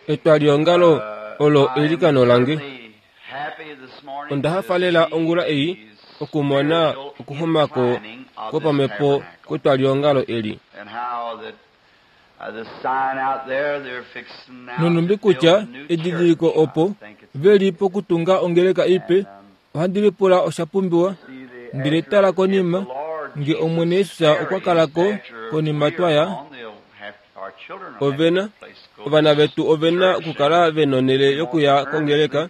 Etwaliongalo olo eilikano lange. Onda hafa lela ongula ei okumona okuxumako kwopamhepo kwetwaliongalo eli. Nonhumbi kutya edidiliko opo ve li pokutunga ongeleka ipe, ohandi lipula osha pumbiwa. Ndele tala konima, nge Omwene Jesus okwa kala ko konima twa ya, Ovena, ovana vetu ove na okukala ve nonhele yokuya kongeleka,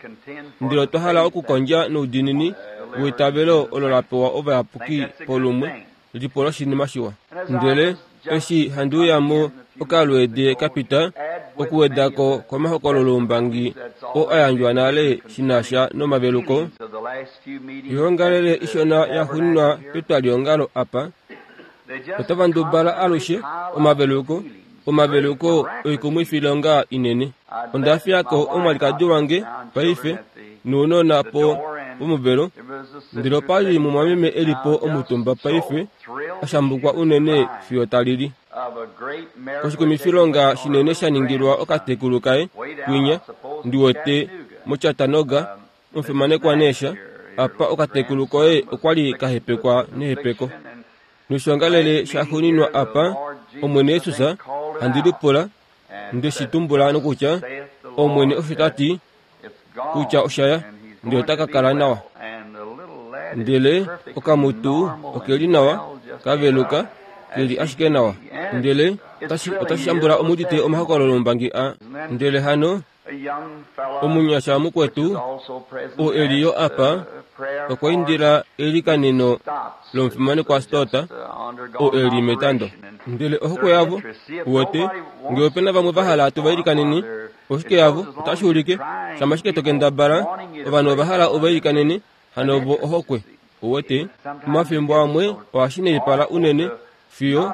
ndele otwa hala okukondja noudiinini weitavelo olo la pewa ovayapuki polumwe li po loshinima shiwa. Ndele eshi handi uya mo okalweede ka pita, okuweda ko komahokololoumbangi oo a yandjwa nale shi na sha nomaveluko, oyoongalele ishona ya xuuninwa petwaliongalo apa, Otava ndubala alushe omaveluko, omaveluko oikumwifilonga inene. Onda fiya ko omwalikadi wange paife nounona po pomuvelo, ndele opa li mumwameme e li po omutumba paife, a shambukwa unene fiyo ta lili. Koshikumwifilonga shinene sha ningilwa okatekulu kaye kwinya, ndi wete, moChattanooga, Omufimanekwa Neesha, apa okatekulu koye okwa li ka hepekwa nehepeko. Noshiongalele shaxuuninwa apa, Omwene Jesus, handi lipula, nde shi tumbula nokutya, Omwene osho ta ti, kutya osha ya, ndele ota ka kala nawa. Ndele okamutu oke li nawa, ka veluka, ke li ashike nawa. Ndele otashi, otashi shambula omudite omahokololo ombangi a. Ndele hano, Omunyasha mukwetu, oo e li yo apa, okwa indila eilikaneno lomufimanekwa Stott, oo e li metando. Ndele ohokwe yavo, uwete, nge ope na vamwe va hala tu va ilikaneni, oshike yavo, otashi ulike, shama ashike to kendabala, ovanhu ova hala u va ilikanene, hano ovo ohokwe. Uwete, omafimbo amwe ohashi naipala unene, fiyo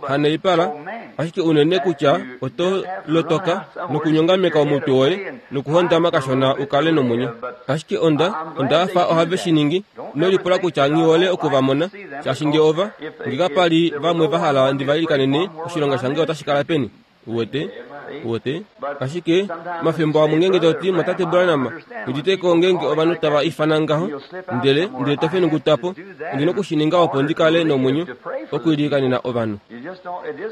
hanaipala ashike unene kutya oto lotoka nokunyongameka omutwe woye nokuhondama kashona u kale nomwenyo. Ashike onda, onda fa ohave shi ningi. Ino lipula kutya nghi hole oku va mona, shaashi nge ova, nge kapa li vamwe va hala ndi va ilikanene, oshilonga shange otashi kala peni? Uwete? Uwete? Ashike, omafimbo amwe ngeenge to ti, Mwatate Branham, udite ko ngeenge ovanhu tava ifana ngaho, ndele, ndele to fenunguta po, ondi noku shi ninga opo ndi kale nomwenyo, okuilikanena ovanhu.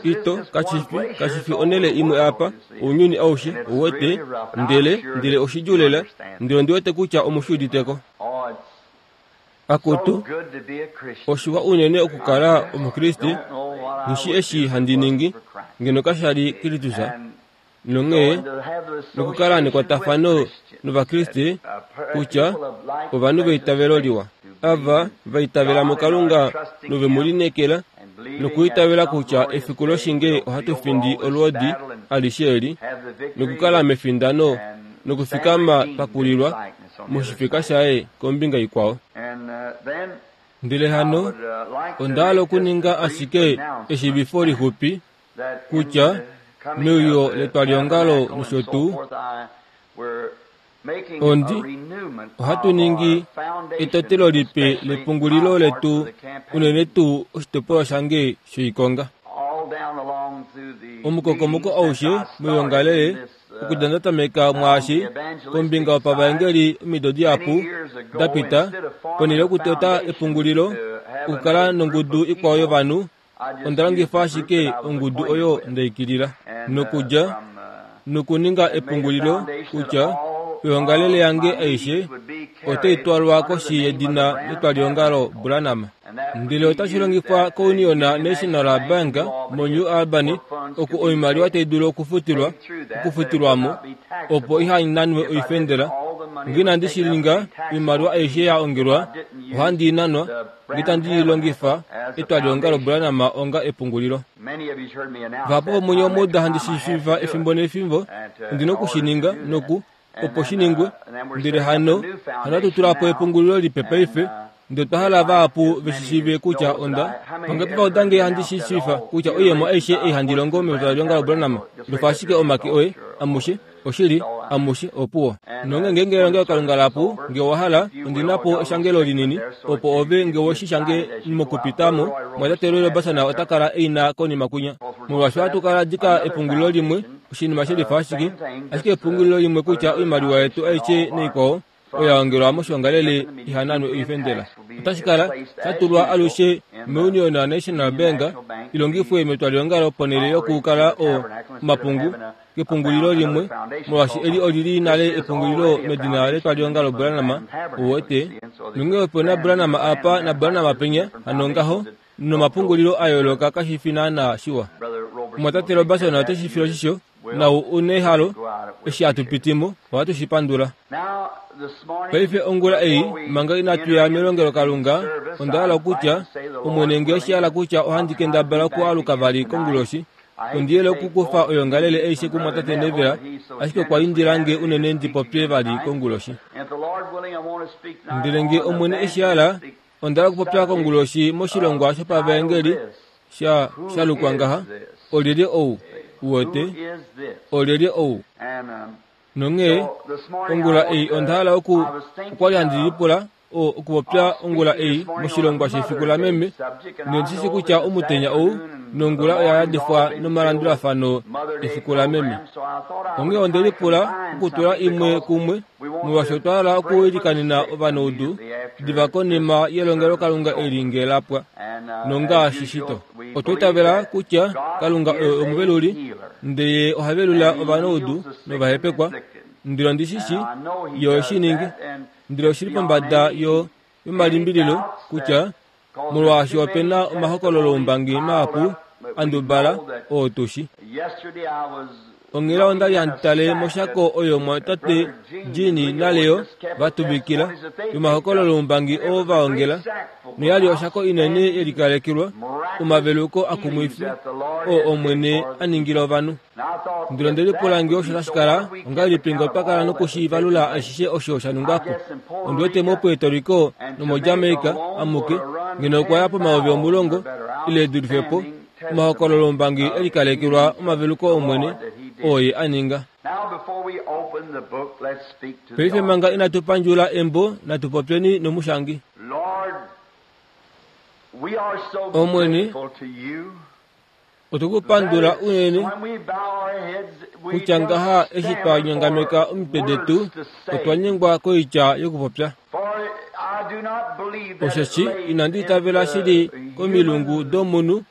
Ito, kashi fi, kashi fi onhele imwe apa, ounyuni aushe, uwete, ndele, ndele oshidjuu lela, ndele ondi wete kutya omu shi udite ko. Akutu, oshiwa unene okukala Omukriste, nghi eshi handi ningi, ngeno kasha li Kristus, nonghee nokukala nekwatafano nOvakriste kutya ovanhu veitavelo liwa, ava va itavela muKalunga nove mu lineekela, nokuitavela kutya efiku loshinge ohatu findi olwoodi alishe eli, nokukala mefindano nokufikama twa kulilwa moshifeka shaye kombinga ikwao. Ndele hano onda hala okuninga ashike eshiivifo lixupi kutya meuyo letwaliongalo nosho tuu, ondi ohatu ningi etotelo lipe lepungulilo letu unene tuu oshitopolwa shange shoikonga. Omukokomoko aushe moyoongalele Okudja nda tameka mwaashi kombinga yopavaengeli omido dihapu da pita, ponhele yokutota epungulilo okukala nongudu ikwao yovanhu, onda longifa ashike ongudu oyo nda ikilila nokudja nokuninga epungulilo kutya oyoongalele yange aishe otai twalwa koshi yedina letwaliongalo Branham. Ndele otashi longifwa koUnion National Bank moNew Albany oku oimaliwa tai dulu okufutilwa okufutilwa mo opo iha nanwe oifendela. Nge inandi shi ninga, oimaliwa aishe ya ongelwa ohandi i nanwa nge tandi i longifa etwaliongalo Branham onga epungulilo. Vahapu vomunye omwa uda handi shi shiiva efimbo nefimbo, ondi na oku shi ninga noku opo shi ningwe. Ndele hano, hano hatu tula po epungulilo lipe paife, ndele otwa hala vahapu ve shi shiive kutya onda vangapi va uda nge handi shi shiifa kutya oiyemo aishe ei handi longo metwalilonga laBranham, lofa ashike omake oye, amushe, oshili, amushe, opuwo. Nonge ngeenge elongelokalunga lapu, nge owa hala, ondi na po eshangelo linini, opo ove nge we shi shange mokupita mo, Mwatate Roy Roberson ota kala e i na konima kwinya. Molwaashi ohatu kala dika epungulilo limwe, oshinima she lifa ashike, ashike epungulilo limwe kutya oimaliwa yetu aishe naikwao oya ongelwa moshoongalele iha nanwe oifendela. Otashi kala sha tulwa alushe moUnion National Bank i longifwe metwaliongalo ponhele yokukala o omapungu kepungulilo limwe, molwaashi eli oli li nale epungulilo medina letwaliongalo Branham, ou wete. Nonghee ope na Branham apa naBranham penya, hano ngaho, nomapungulilo a yooloka kashi fi naanaa shiwa. Omumwatate Roberson ote shi file oshisho, nau u nehalo, eshi hatu piti mo, ohatu shi pandula. Paife ongula ei, manga inatu ya melongelokalunga, onda hala okutya, Omwene nge oshi hala kutya ohandi kendabala okualuka vali konguloshi, ondi yele okukufa oyoongalele aishe kumwatate Neville, ashike okwa indila nge unene ndi popye vali konguloshi. Ndele nge Omwene eshi hala, Onda hala okupopya konguloshi moshilongwa shopavaengeli sha sha lukwa ngaha, Olyelye ou? Uwete? Olyelye ou? Nonghee, ongula ei onda hala oku, okwa li handi lipula, o, okupopya ongula ei moshilongwa shefiku lameme, nondi shi kutya omutenya ou nongula oya yadifwa nomalandulafano efiku lameme. Onghee onde lipula okutula imwe kumwe molwaashi otwa hala okuwilikanena ovanaudu diva konima yelongelokalunga eli nge la pwa. Nongaashi shito, otwa itavela kutya Kalunga oye omuveluli, ndele Ye oha velula ovanaudu novahepekwa. Ndele ondi shi shii Ye ohe shi ningi. Ndele oshi li pombada yo, yomalimbililo kutya molwaashi ope na omahokololoumbangi mahapu a ndubala oo tu shi. Onghela onda li handi tale moshako oyo omumwatate Gene naLeo va tuvikila yomahokololoumbangi oo va ongela, noya li oshako inene ye likalekelwa omaveluko akumwifi oo Omwene a ningila ovanhu. Ndele onde lipula nge osho tashi kala ongahelipi nge otwa kala nokushiivalula ashishe osho sha ningwa po. Ondi wete moPuerto Rico nomoJamaica amuke, ngeno okwa ya pomayovi omulongo ile e dulife po, omahokololoumbangi e likalekelwa omaveluko Omwene oo Ye a ninga. Paife manga inatu pandjula embo, natu popyeni nomushangi. Omwene, Otwe ku pandula unene kutya ngaha eshi twa nyongameka omitwe detu otwa nyengwa koitya yokupopya. Osheshi inandi itavela shili komilungu domunhu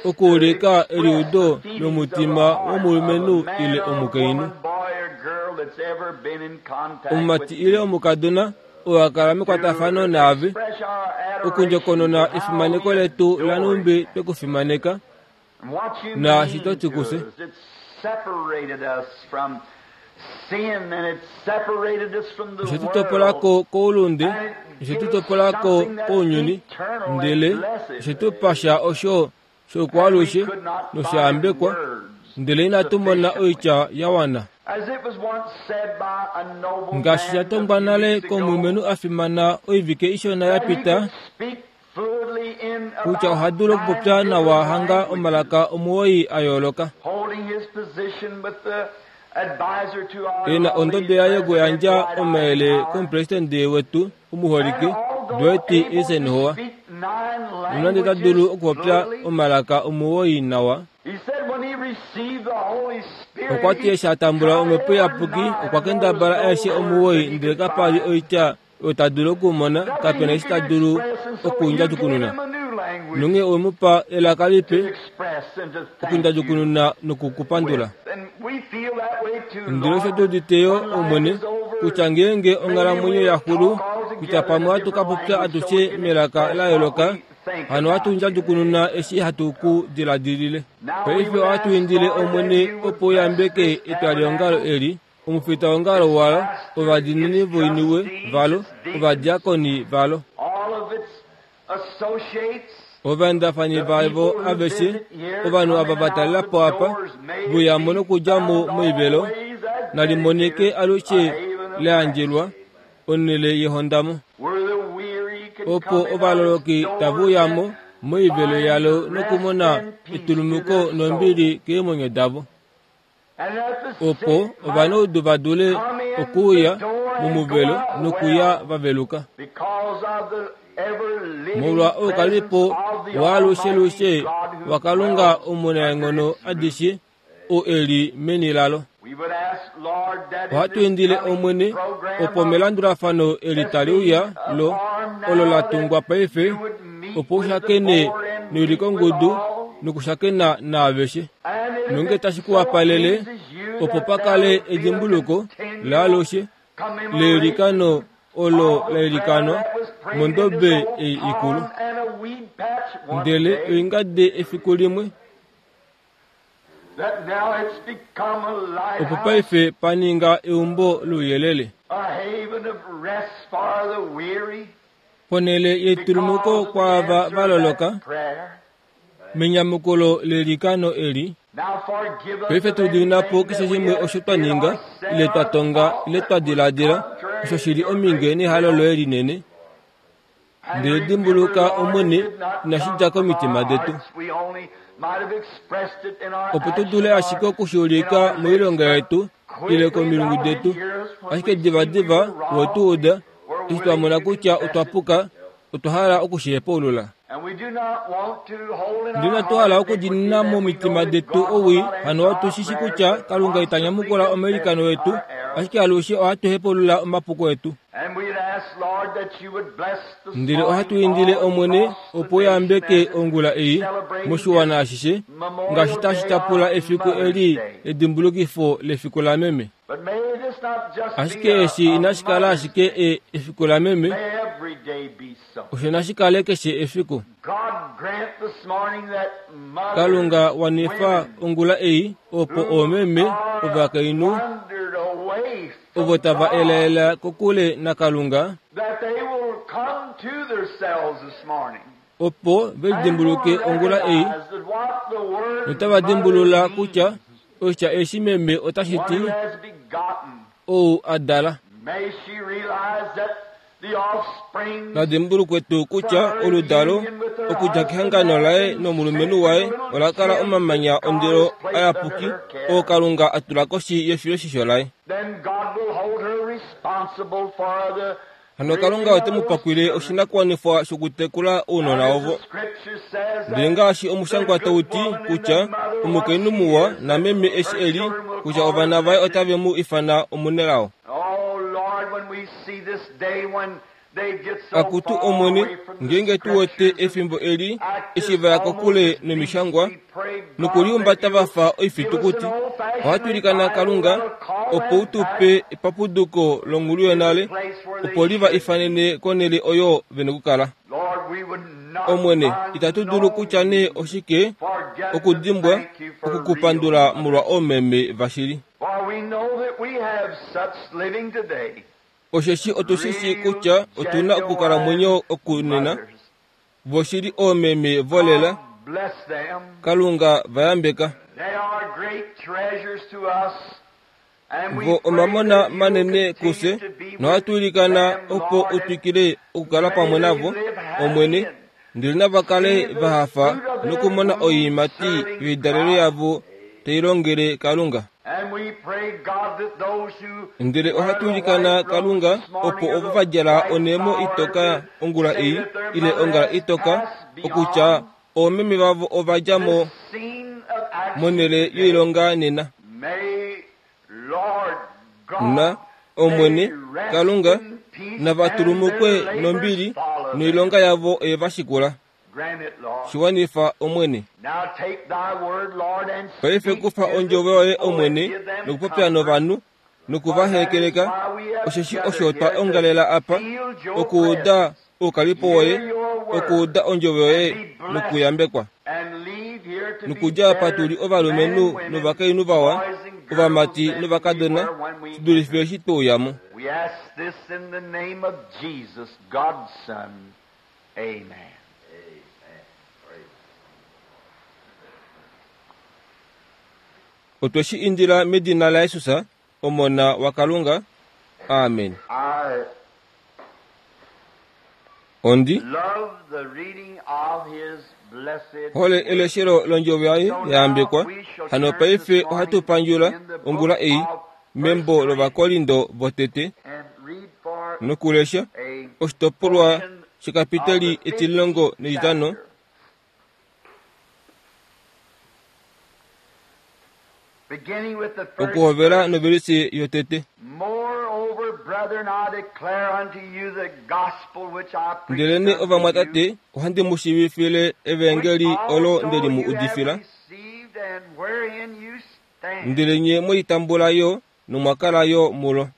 okuulika eliudo lomutima womulumenhu ile omukainhu. Omumati ile omukadona oo a kala mekwatafano naave, okundjokonona efimaneko letu lanhumbi twe ku fimaneka, naashi to ti kufye. Oshe tu topola ko koulunde, oshe tu topola ko kounyuni, ndele oshe tu pa sha osho shokwaalushe nosha yambekwa, ndele inatu mona oitya ya wana. Ngaashi sha tongwa nale komulumenhu a fimana oivike ishona ya pita, kutya oha dulu okupopya nawa hanga omalaka omuwoi a yooloka. E na ondodo yaye yokuyandja omayele komupresidente wetu omuholike Dwight Eisenhower, nonande ta dulu okupopya omalaka omuwoi nawa, okwa ti eshi a tambula omhepo iyapuki okwa kendabala aeshe omuwoi ndele kapa li oitya oyo ta dulu okumona, kape na eshi ta dulu okundjadjukununa. Nonghee owe mu pa elaka lipe okundjadjukununa noku ku pandula. Ndele osho tu udite yo, Omwene, kutya ngeenge onghalamwenyo ya xulu, kutya pamwe ohatu ka popya atushe melaka la yooloka, hano ohatu ndjadjukununa eshi hatu ku diladilile. Paife ohatu indile, Omwene, opo u yambeke etwaliongalo eli, omufitaongalo walo, ovadiinini voiniwe valo, ovadiakoni valo, ovaendafani vavo aveshe, ovanhu ava va talela po apa, vuya mo nokudja mo moivelo, nali monike alushe la yandjelwa onhele yehondamo, opo ovaloloki tave uya mo moivelo yalo nokumona etulumuko nombili keemwenyo davo. opo ovanaudu va dule okuuya momuvelo nokuya va veluka. Molwa oukalipo waalushelushe waKalunga omunaenghono adishe oo e li meni lalo. Ohatu indile Omwene opo melandulafano eli tali uya lo olo la tungwa paife opo u shakene newilikongudu nokushakena naaveshe. Nonge tashi ku wapalele opo pa kale edimbuluko laalushe leilikano olo la ilikanwa mondobe ei ikulu. Ndele oingade efiku limwe opo paife pa ninga eumbo louyelele. Ponhele yetulumuko kwaava va loloka, menyamukulo leilikano eli, paife tu dimina po keshe shimwe osho twa ninga, ile twa tonga, ile twa diladila, osho shi li ominge nehalo loye linene. Ndele dimbuluka, Omwene, inashi dja komitima detu. Opo tu dule ashike oku shi ulika moilonga yetu, ile komilungu detu. Ashike divadiva we tu uda, eshi twa mona kutya otwa puka, otwa hala oku shi hepaulula. Ndele inatu hala okudinina momitima detu owii, hano otu shi shi kutya Kalunga ita nyamukula omailikano etu, ashike alushe ohatu hepaulula omapuko etu. Ndele ohatu indile Omwene opo u yambeke ongula ei moshiwana ashishe ngaashi tashi tyapula efiku eli ledimbulukifo lefiku lameme. Ashike eshi inashi kala ashike e, efiku lameme, osho nashi kale keshe efiku. Kalunga wanifa ongula ei opo oomeme ovakainhu ovo tava elaela kokule naKalunga, opo ve lidimbuluke ongula ei notava dimbulula kutya oshitya eshi meme otashi ti ou a dala. Na dimbulukwe tuu kutya oludalo okudja kehangano laye nomulumenhu waye ola kala omamanya ondilo ayapuki oo Kalunga a tula koshi yefiloshisho laye. Hano Kalunga ote mu pakwile oshinakuwanifwa shokutekula ounona ovo. Ndele ngaashi omushangwa tau ti kutya omukainhu muwa nameme eshi e li kutya ovana vaye otave mu ifana omunelao. Akutu Omwene, ngeenge tu wete efimbo eli eshi va ya kokule nomishangwa nokulihumbata va fa oifitukuti, ohatu ilikana Kalunga opo u tu pe epapuduko longhulu yonale opo li va ifanene konhele oyo ve nokukala. Omwene, itatu dulu kutya nee oshike okudimbwa oku ku pandula molwa oomeme vashili. Osheshi otu shi shii kutya otu na okukalamwenyo okunena, voshili oomeme volela, Kalunga va yambeka. Vo omamona manene kufye, nohatu ilikana opo u twikile okukala pamwe navo, Omwene, ndele nava kale va hafa nokumona oiimati yoidalelo yavo tai longele Kalunga. Ndele ohatu ilikana Kalunga opo ovo va djala onhemo itoka ongula ei, ile ongala itoka, okutya oomeme vavo ova dja mo monhele yoilonga nena. Na, Omwene, Kalunga, nava tulumukwe nombili, noilonga yavo oye va shikula. Shi wanifa, Omwene. Paife kufa ondjovo yoye, Omwene, nokupopya novanhu, noku va hekeleka, osheshi osho twa ongalela apa, okuuda oukalipo woye, okuuda ondjovo yoye nokuyambekwa. Nokudja apa tu li ovalumenhu novakainhu vawa, ovamati novakadona, shi dulife eshi twe uya mo. Amen. Otwe shi indila medina laJesus, Omona waKalunga. Amen. I Ondi love the reading of his blessed hole eleshelo londjovo yaye ya yambekwa. Hano paife ohatu pandjula ongula ei membo lOvakorindo votete and read for nokulesha a oshitopolwa portion. shekapiteli etililongo netitano okuhovela novelisi yotete. Ndelene ovamwatate, ohandi mu shiivifile evangeli olo nde li mu udifila, ndele nye mwe li tambula yo nomwa kala yo mulo.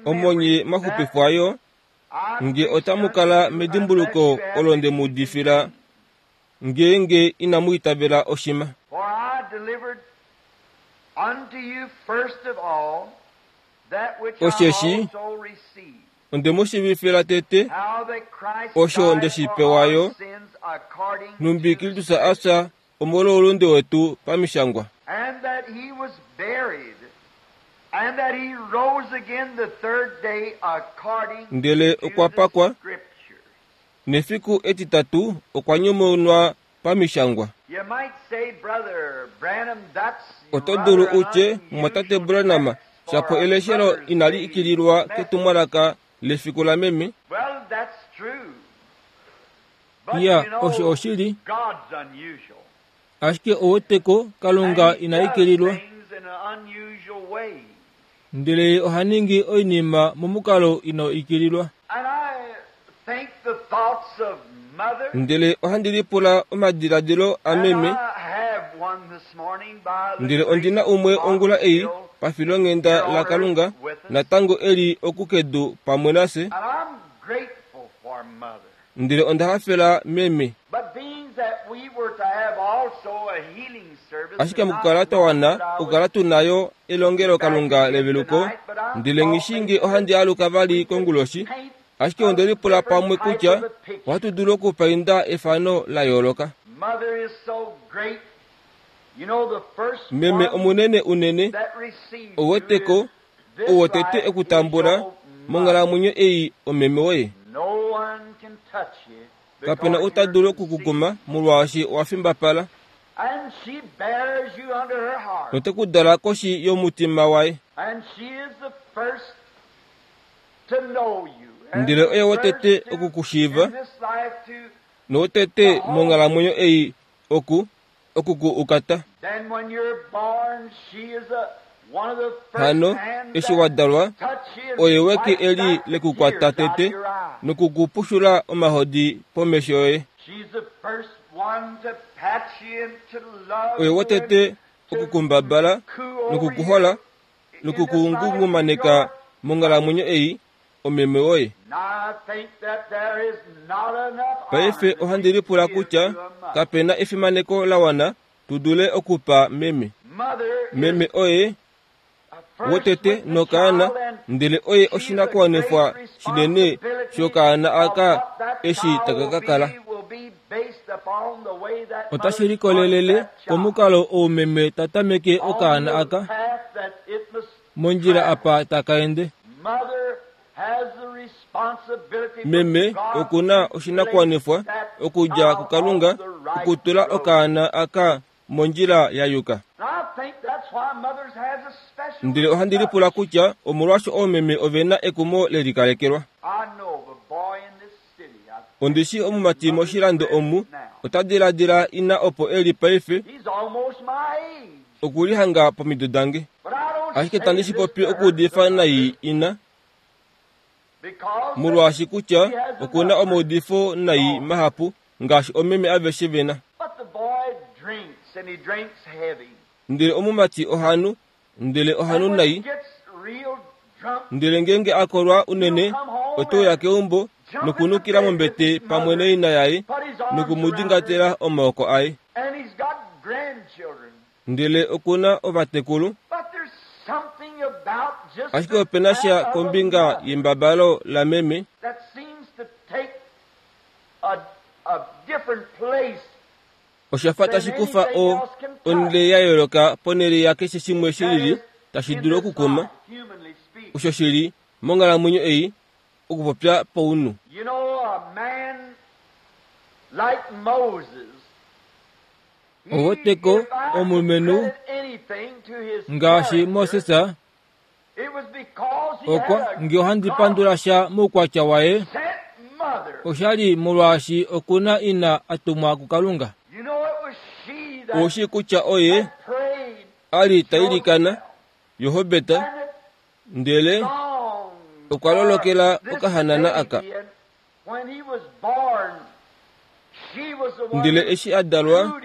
Omo nye mwa xupifwa yo, nge otamu kala medimbuluko olo nde mu udifila, ngeenge inamu itavela oshima. Osheshi onde mu shiivifila tete osho nde shi pewa yo, nhumbi Kristus a fya omolwoulunde wetu pamishangwa. Ndele okwa pakwa, nefiku etitatu okwa nyumunwa pamishangwa. Oto dulu u tye, Mumwatate Branham, shapo eleshelo inali ikililwa ketumwalaka lefiku lameme? Iya, osho oshili. Ashike ouweteko, Kalunga ina ikililwa. Ndele Ye oha ningi oinima momukalo inau ikililwa. Ndele ohandi lipula omadiladilo ameme, ndele ondi na umwe ongula ei pafilonghenda laKalunga natango e li oku kedu pamwe nafye. Ndele onda hafela meme. Ashike mokukala twa wana okukala tu na yo elongelokalunga leveluko, ndele nghi shii nge ohandi aluka vali konguloshi, ashike onde lipula pamwe kutya ohatu dulu okupainda efano la yooloka. Meme omunene unene, ou weteko, ou wotete ekutambula monghalamwenyo ei omeme woye. Kape na ou ta dulu oku ku kuma molwaashi owa fimbapala. Note ku dala koshi yomutima waye. Ndele oye wotete oku ku shiiva, nowotete monghalamwenyo ei oku oku ku ukata. Hano eshi wa dalwa, oye weke eli le ku kwata tete noku ku pushula omahodi pomesho yoye. Oye wotete oku ku mbabala noku ku hola noku ku ngungumaneka monghalamwenyo ei, omeme woye. Paife ohandi lipula kutya kape na efimaneko la wana tu dule okupa meme. Meme oye wotete nokaana, ndele oye oshinakuwanifwa shinene shokaana aka eshi taka ka kala. Otashi likolelele komukalo ou meme ta tameke okaana aka. Mondjila apa taka ende. Meme oku na oshinakuwanifwa okudja kuKalunga okutula okaana aka mondjila ya yuka. Ndele ohandi lipula kutya omolwasho oomeme ove na ekumo le likalekelwa. Ondi shii omumati moshilando omu ota diladila ina opo e li paife okulihanga pomido dange. Ashike tandi shi popi okuudifa nai ina, molwaashi kutya oku na omaudifo nai mahapu ngaashi omeme aveshe ve na. Ndele omumati oha nu, ndele oha nu nai. Ndele ngeenge a kolwa unene, ote uya keumbo nokunukila mombete pamwe naina yaye noku mu dingatela omaoko aye. Ndele oku na ovatekulu. Ashike ope na sha kombinga yembabalo lameme. Osha fa tashi kufa o, onhele ya yooloka ponhele yakeshe shimwe shi lili tashi dulu okukuma, osho shi li monghalamwenyo ei, okupopya paunhu. Oweteko omulumenhu ngaashi Moses. Okwa nge ohandi pandula sha moukwatya waye, osha li molwaashi oku na ina a tumwa kuKalunga. Ou shii kutya oye a li ta ilikana Johobeta, ndele okwa lolokela okahanana aka. Ndele eshi a dalwa,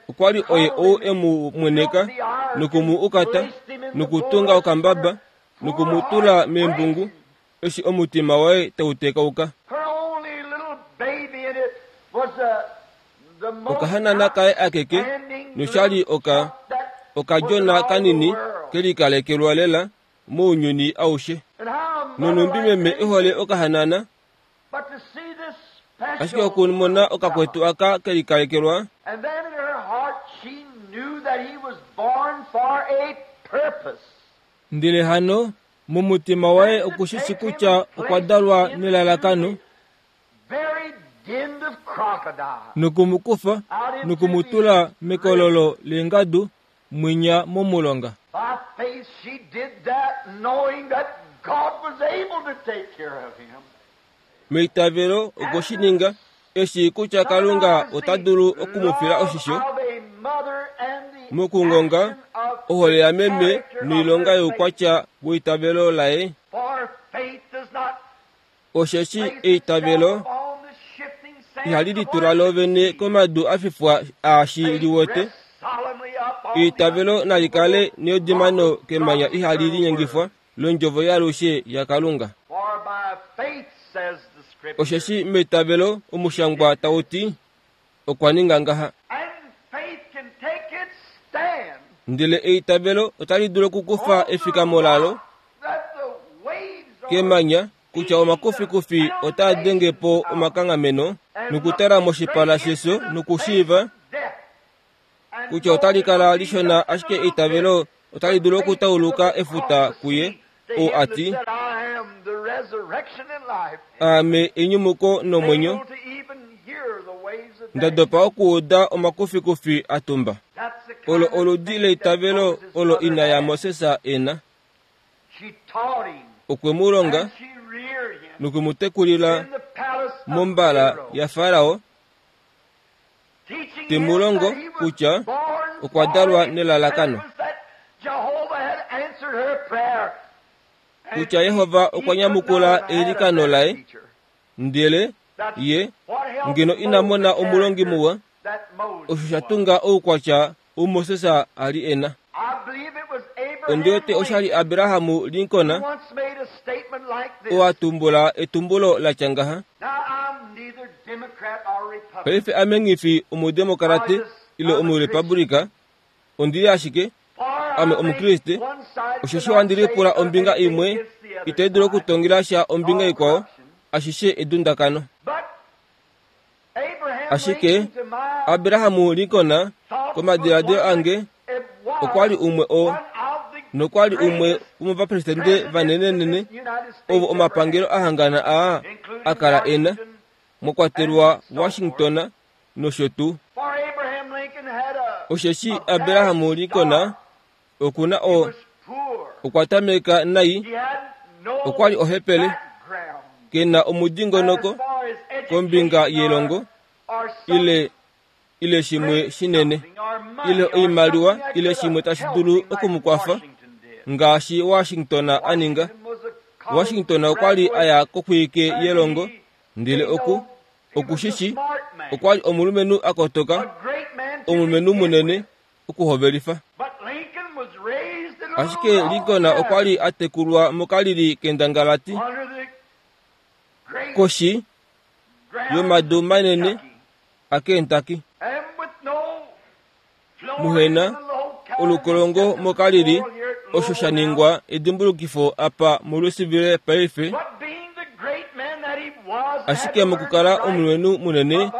okwa li oye ou e mu mweneka noku mu ukata nokutunga okambaba noku mu tula meembungu eshi omutima waye tau tekauka. Okahanana kaye akeke nosha li oka okadjona kanini ke likalekelwa lela mounyuni aushe. Nonhumbi meme e hole okahanana, ashike okumona okakwetu aka ke likalekelwa, Ndele hano, momutima waye oku shi shi kutya okwa dalwa nelalakano, noku mu kufa noku mu tula mekololo leengadu mwinya momulonga. Meitavelo okwe shi ninga, e shii kutya Kalunga ota dulu oku mu fila oshisho. Mokungonga ohole yameme noilonga youkwatya weitavelo laye, Osheshi eitavelo ihali litula lo vene komadu a fifwa aashi li wete. Eitavelo nali kale neudimano kemanya ihali linyengifwa londjovo yaalushe yaKalunga. Osheshi meitavelo omushangwa tau ti, Okwa ninga ngaha. Ndele eitavelo otali dulu okukufa efikamo lalo kemanya kutya omakufikufi otaa denge po omakanghameno nokutala moshipala shefyo nokushiiva kutya otali kala lishona ashike eitavelo otali dulu okutauluka efuta kuye ou a ti, Aame enyumuko nomwenyo, nda dopa okuuda omakufikufi a tumba. Olo oludi leitavelo olo ina yaMoses e na. Okwe mu longa noku mu tekulila mombala yaFarao, te mu longo kutya okwa dalwa nelalakano, kutya Jehova okwa nyamukula eilikano laye, ndele ye ngeno ina mona omulongi muwa, osho sha tunga oukwatya ou Moses a li e na. Ondi wete osha li Abraham Lincoln oo a tumbula etumbulo la tya ngaha. Paife ame nghi fi Omudemokarate ile Omurepublika, ondi li ashike ame Omukriste, osheshi ohandi lipula ombinga imwe itai dulu okutongela sha ombinga ikwao, ashishe edundakano. Ashike Abraham Lincoln, komadiladilo ange, okwa li umwe oo, nokwa li umwe womovapresidente vanenenene ovo omapangelo a hangana aa a kala e na, mwa kwatelwa Washington nosho tuu. Osheshi Abraham Lincoln oku na o, okwa tameka nai, okwa li ohepele, ke na omudingonoko kombinga yelongo ile ile shimwe shinene ile oimaliwa ile shimwe tashi dulu oku mu kwafa ngaashi Washington a ninga. Washington okwa li a ya koxwike yelongo ndele oku oku shi shi okwa li omulumenhu a kotoka, omulumenhu munene okuhovelifa. Ashike Lincoln okwa li a tekulwa mokalili kendangalati koshi yomadu manene aKentucky. Muhena olukolongo mokalili osho sha ningwa edimbulukifo apa muLouisville paife. Ashike mokukala omulumenhu munene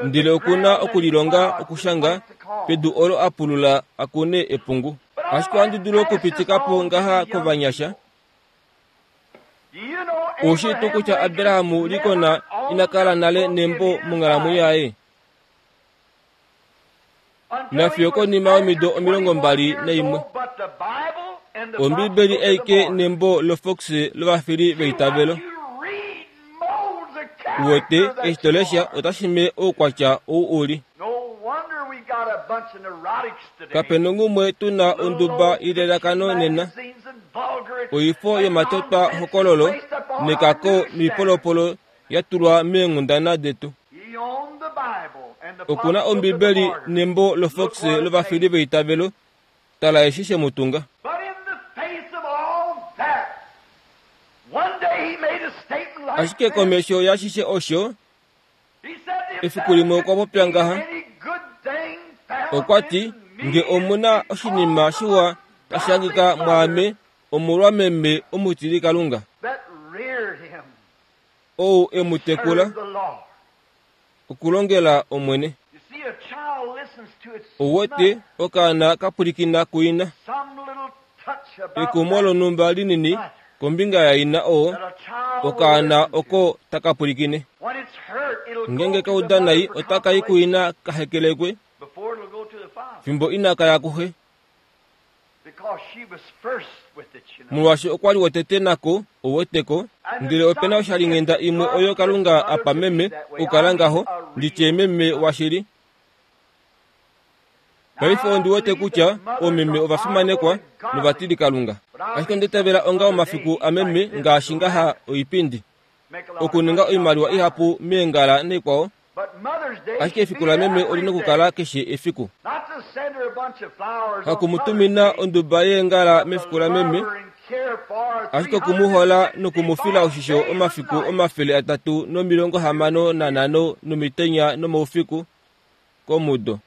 ndele oku na okulilonga okushanga pedu olo a pulula a kune epungu. Ashike ohandi dulu okupitika po ngaha kovanyasha. Ou shii tuu kutya Abraham Lincoln ina kala nale nembo monghalamwenyo yaye? Nafiyo konima yomido 21. Ombibeli aike nembo loFox lovafili veitavelo. Uwete, eshi to lesha otashi me oukwatya ou u li. Kape nongumwe tu na onduba yelelakano nena. Oifo yomatotwa hokololo nekako noipolopolo ya tulwa meenghundana detu. Oku na Ombibeli nembo loFox lovafili veitavelo. Tala eshi she mu tunga. Ashike komesho yashishe osho, efiku limwe okwa popya ngaha. Okwa ti, Nge omu na oshinima shiwa tashi hangika mwaame omolwameme omutilikalunga, ou e mu tekula, okulongela Omwene. Ou wete, okaana ka pwilikina kuina. Ekumo lonhumba linini kombinga yaina oo okaana oko taka pwilikine. Ngeenge ka uda nai otaka i kuina ka hekelekwe fimbo inaka ya kuxe. Molwaashi okwa li wotete nako, ou weteko. Ndele ope na oshalinghenda imwe oyo Kalunga a pa meme okukala ngaho, ndi tye meme washili. Paife ondi wete kutya oomeme ova fimanekwa novatilikalunga. Ashike onda itavela onga omafiku ameme ngaashi ngaha oipindi. Okuninga oimaliwa ihapu meengala naikwao, Ashike efiku lameme oli nokukala keshe efiku. Haku mu tumina onduba yeengala mefiku lameme, ashike oku mu hola noku mu fila oshisho omafiku 365 nomitenya nomaufiku komudo.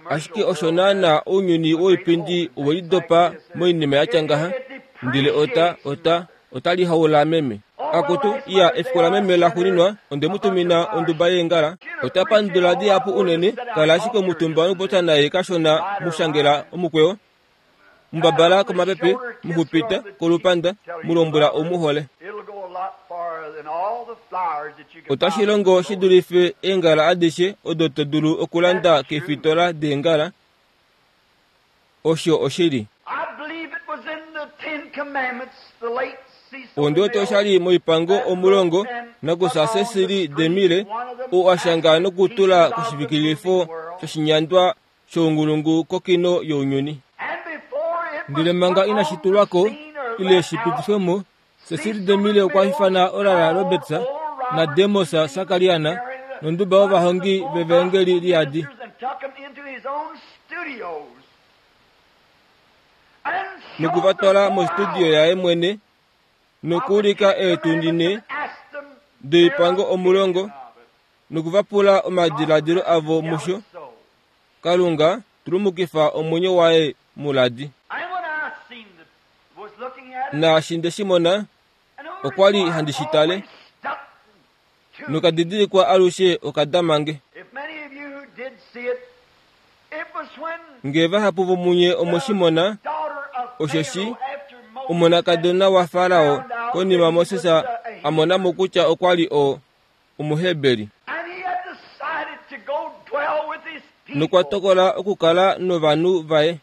Ashike osho naana ounyuni woipindi owe lidopa moinima ya tya ngaha, ndele ota, ota, ota lihaula meme. Akutu, iya, efiku lameme laxuuninwa, onde mu tumina onduba yeengala. Ota pandula dihapu unene, kala ashike omutumba nokupopya naye kashona, mu shangela omukweyo, mu babala komapepe, mu xupita kolupanda, mu lombwela ou mu hole. Otashi longo shi dulife eengala adishe odo to dulu okulanda keefitola deengala. Osho oshili. Ondi wete osha li mOipango Omulongo nakusa Cecily DeMille, ou a shanga nokutula koshivikilifo shoshinyandwa shounghulungu kokino younyuni. Ndele manga inashi tulwa ko ile shi pitifwe mo, Cecily DeMille okwa ifana Oral Roberts naDemos Shakarian nonduba yovahongi vevaengeli liyadi. Noku va twala mostudio yaye mwene nokuulika eetundi ne doipango omulongo noku va pula omadiladilo avo musho. Kalunga tulumukifa omwenyo waye muladi. Naashi nde shi mona, okwa li handi shi tale, nokadidilikwa alushe okadama nge. Nge vahapu vomunye omwe shi mona, osheshi omonakadona waFarao konima Moses a mona mo kutya okwa li o, Omuheberi. Nokwa tokola okukala novanhu vaye.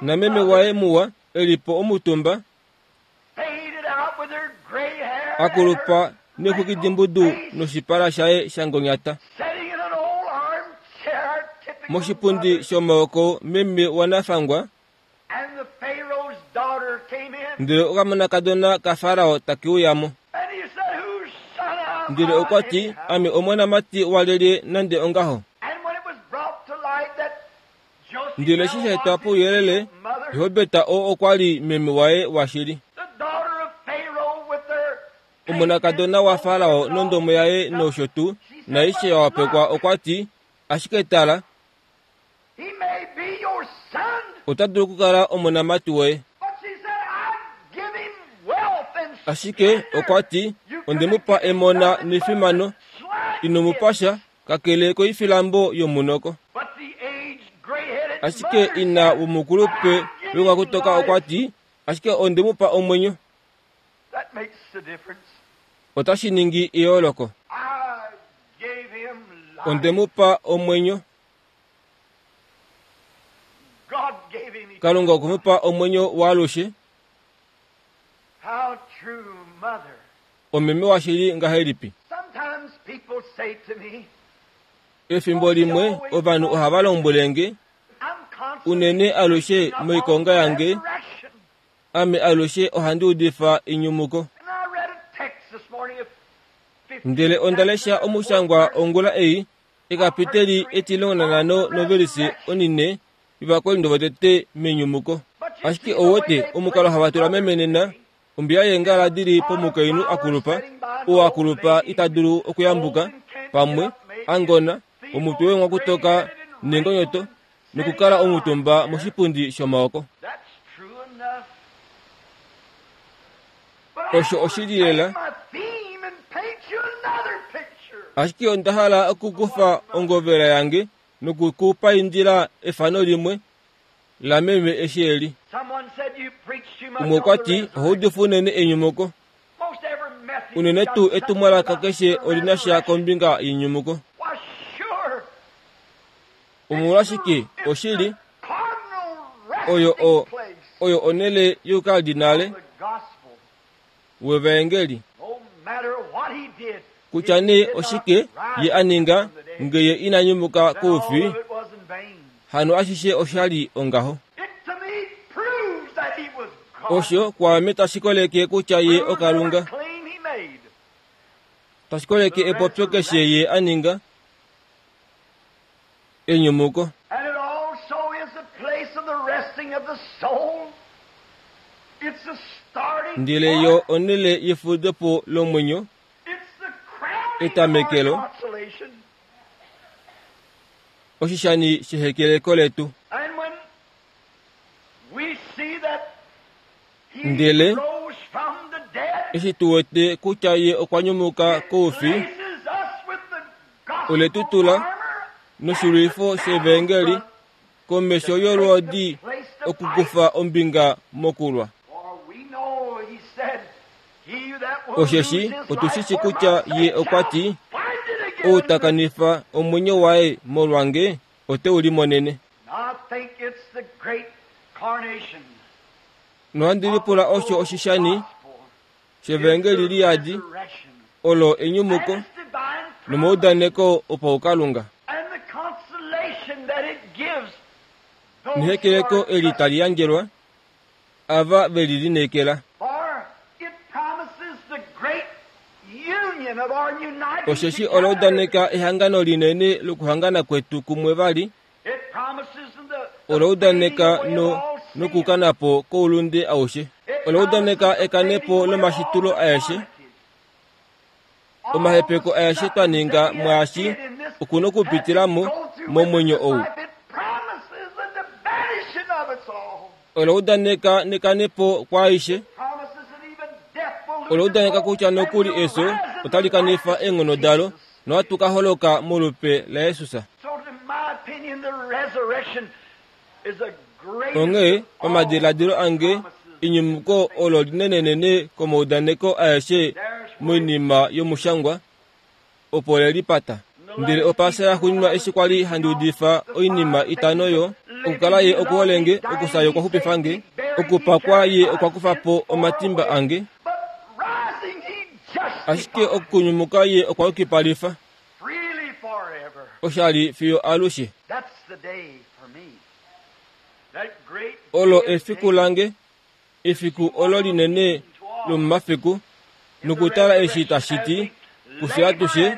Nameme waye muwa e li po omutumba, a kulupa neexwikidimbudu noshipala shaye sha ngonyata. Moshipundi shomaoko meme wanafangwa, Ndele okamonakadona kaFarao take uya mo. Ndele okwa ti, Ame omonamati walyelye nande ongaho? Ndele eshi sha etwa pouyelele, Jehobeta oo okwa li meme waye washili. Omonakadona waFarao nondomo yaye nosho tuu, naaishe ya wapekwa, okwa ti, Ashike tala, Ota dulu okukala omonamati woye. Ashike okwa ti, Onde mu pa emona nefimano, ino mu pa sha, kakele koifilambo yomunoko. Ashike ina womukulupe wongakutoka okwa ti, Ashike onde mu pa omwenyo. Otashi ningi eyooloko. Onde mu pa omwenyo. Kalunga okwe mu pa omwenyo waalushe. How true, mother. Omeme washili ngahelipi? Sometimes people say to me, Efimbo limwe ovanhu ohava lombwele nge, I'm constantly unene alushe preaching upon moikonga the yange, resurrection. ame alushe ohandi udifa enyumuko. And I read a text this morning of 15 Ndele onda lesha omushangwa ongula ei, ekapiteli 15 novelisi onine yovakorinto votete menyumuko. Ashike ouwete omukalo hava tula memenena ombiya yeengala di li pomukainhu akulupa, oo akulupa ita dulu okuyambuka, pamwe angona, omutwe wemwakutoka nengonyoto, nokukala omutumba moshipundi shomaoko. That's true enough. But I Osho wanna oshili lela. take my theme and paint you another picture. Ashike onda hala okukufa ongovela yange nokukupaindila efano limwe lameme eshi eli. Someone said you preach too much Umwe on okwa the ti resurrection. oho udifa unene enyumuko, Most every message unene got tuu something etumwalaka about keshe the olina sha resurrection. kombinga yenyumuko. Why, sure. Omolwashike It's the oshili cardinal oyo resting o place oyo onele youkardinale of the gospel. wevaengeli No matter what he did, kutya if he nee did not oshike rise ye a ninga from the dead, ngeye ina nyumuka then all koufi of it was in vain. hano ashishe oshali ongaho. It to me proves that he was God. Osho kwaame tashi koleke kutya ye Proves okalunga, every claim he made. tashi koleke epopyo keshe ye a ninga enyumuko. And it also is the place of the resting of the soul. It's the starting Ndele point. yo onele yefudepo lomwenyo, It's the crowning etamekelo. of our consolation. oshishani shehekeleko letu. And when we see that he Ndele, rose from the dead, Eshi tu wete kutya ye okwa nyumuka it koufi, places us with the gospel ole tu tula armor noshilwifo shevangeli komesho yolwoodi okukufa ombinga mokulwa. For we know, he said, he that will Osheshi lose his otu shi shi life for kutya my ye sake okwa shall ti, find it again. ou ta kanifa omwenyo waye molwange ote u limonene. I think it's the great carnation Nohandi lipula osho oshishani gospel. shevangeli It's the liyadi resurrection. olo enyumuko And its divine promise nomaudaneko opaukalunga and the consolation that it gives those who nehekeleko are eli tali yandjelwa ava veli lineekela. For it promises the great union of our uniting Osheshi together. ola udaneka ehangano linene lokuhangana kwetu kumwe vali, It promises the, ola udaneka the no nokukanapo koulunde aushe. Ola udaneka ekanepo lomashitulo aeshe, omahepeko aeshe twa ninga mwaashi okuna okupitilamo momwenyo ou. Ola udaneka nekanepo kwaaishe, ola udaneka kutya nokuli efyo otali kanifa eenghono dalo nohatu ka holoka molupe laJesus. Onghee pamadiladilo ange enyumuko olo linenenene komaudaneko aeshe moinima yomushangwa opo le lipata. Ndele opaasa yaxuuninwa eshi kwali handi udifa oinima itano yo okukala ye okuholenge, okufya ye okwa xupifa nge, okupakwa ye okwa kufa po omatimba ange, ashike okunyumuka ye okwa yukipalifa Freely forever. oshali fiyo alushe. That's the day for me. That great Olo day efiku lange, efiku olo linene lomomafiku, nokutala eshi tashi ti kufye atushe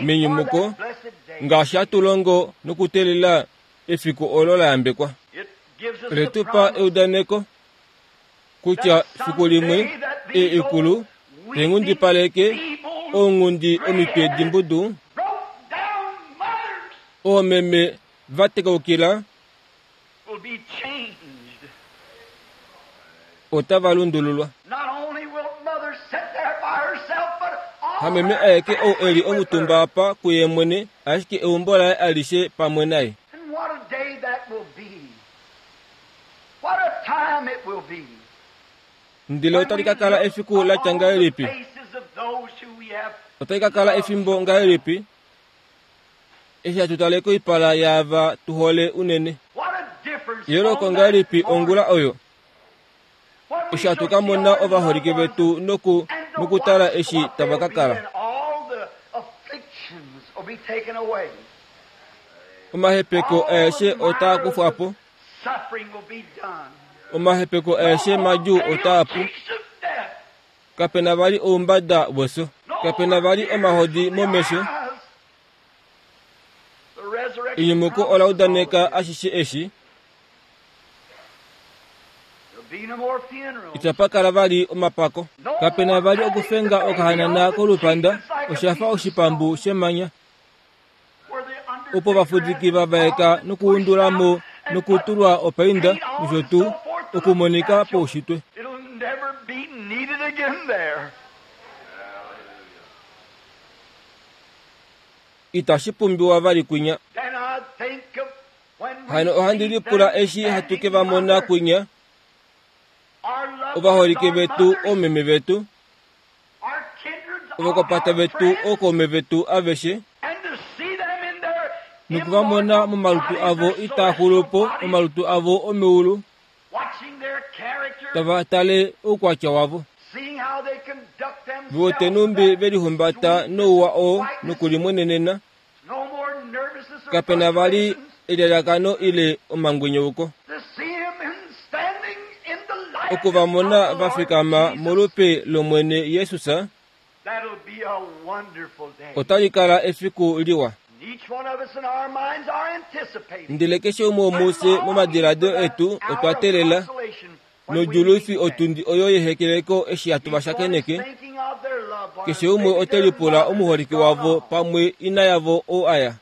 menyumuko ngaashi hatu longo nokuteelela efiku olo la yambekwa. It gives us Ole the tu pa promise eudaneko kutya fiku limwe eikulu tenghundipaleke ounghundi omitwe dimbudu, broke down mothers oomeme va tekaukila will be changed. otava lundululwa. Not only will mother sit there by herself, but all Hameme her aeke ou eli family with omutumba her. apa kuye mwene, ashike eumbo laye alishe pamwe naye. And what a day that will be. What a time it will be. Ndele otali ka kala efiku la tya ngahelipi? Faces of those who we have Otali ka kala efimbo ngahelipi? Eshi hatu tale koipala yaava tu hole unene. What a difference Eyooloko ngahelipi ongula oyo eshi hatu ka mona ovaholike vetu noku nokutala eshi tava ka kala. Omahepeko aeshe otaa kufwa po. Omahepeko aeshe madjuu otaa pu. Kape na vali oumbada wefyo. Kape na vali omahodi momesho. Enyumuko ola udaneka ashishe eshi. Itapa kala vali omapako. Kape na vali okufenga okahanana kolupanda, osha fa oshipambu shemanya. Opo ovafudiki va vaeka nokuundula mo nokutulwa opainda nosho tuu okumonika poushitwe. Itashi pumbiwa vali kwinya. Hano ohandi lipula eshi hatu ke va mona kwinya, ovaholike vetu, oomeme vetu, ovakwapata vetu, ookaume vetu aveshe, noku va mona momalutu avo itaa xulu po, omalutu avo omeulu, tava tale oukwatya wavo. Ve wete nhumbi ve lihumbata nouwa oo nokulimwenenena. Kape na vali elyalyakano ile omangwenyouko. Oku va mona va fikama molupe lOmwene Jesus, otali kala efiku liwa. Ndele keshe umwe womufye momadiladilo etu otwa teelela nodjulufi otundi oyo yehekeleko eshi hatu va shakeneke. Keshe umwe ote lipula omuholike wavo pamwe ina yavo ou a ya.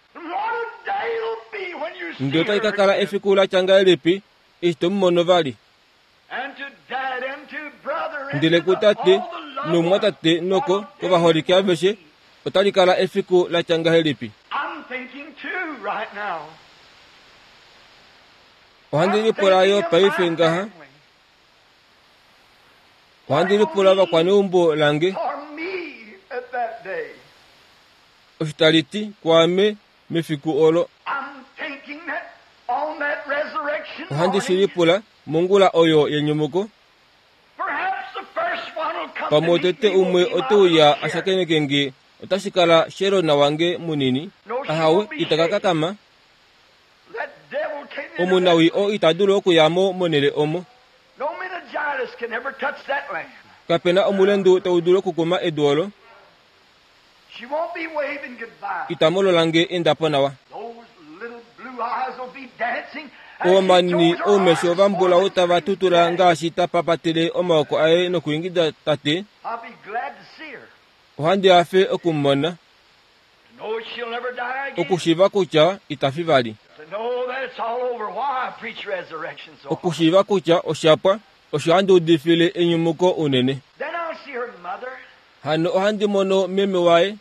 Ndele otai ka kala efiku la tya ngahelipi eshi to mu mono vali? Ndele kutate nomumwatate noko kovaholike aveshe otali kala efiku la tya ngahelipi? Ohandi lipula yo paife ngaha. Ohandi lipula vakwaneumbo lange. Osho tali ti kwaame mefiku olo. Ohandi shi lipula mongula oyo yenyumuko. Pamwe otete umwe ote uya a shakeneke nge, otashi kala Sherona wange munini. Ahawe, ita ka kakama. Omunawii oo ita dulu okuya mo monhele omo. Kape na omulendu tau dulu okukuma edu olo. Ita molola nge enda po nawa. Omanini oumesho vambulau tava tutula ngaashi ta papatele omaoko aye nokuingida ta ti, Ohandi hafe oku mu mona. Okushiiva kutya ita fi vali. Okushiiva kutya osha pwa, osho handi udifile enyumuko unene. Hano ohandi mono meme waye,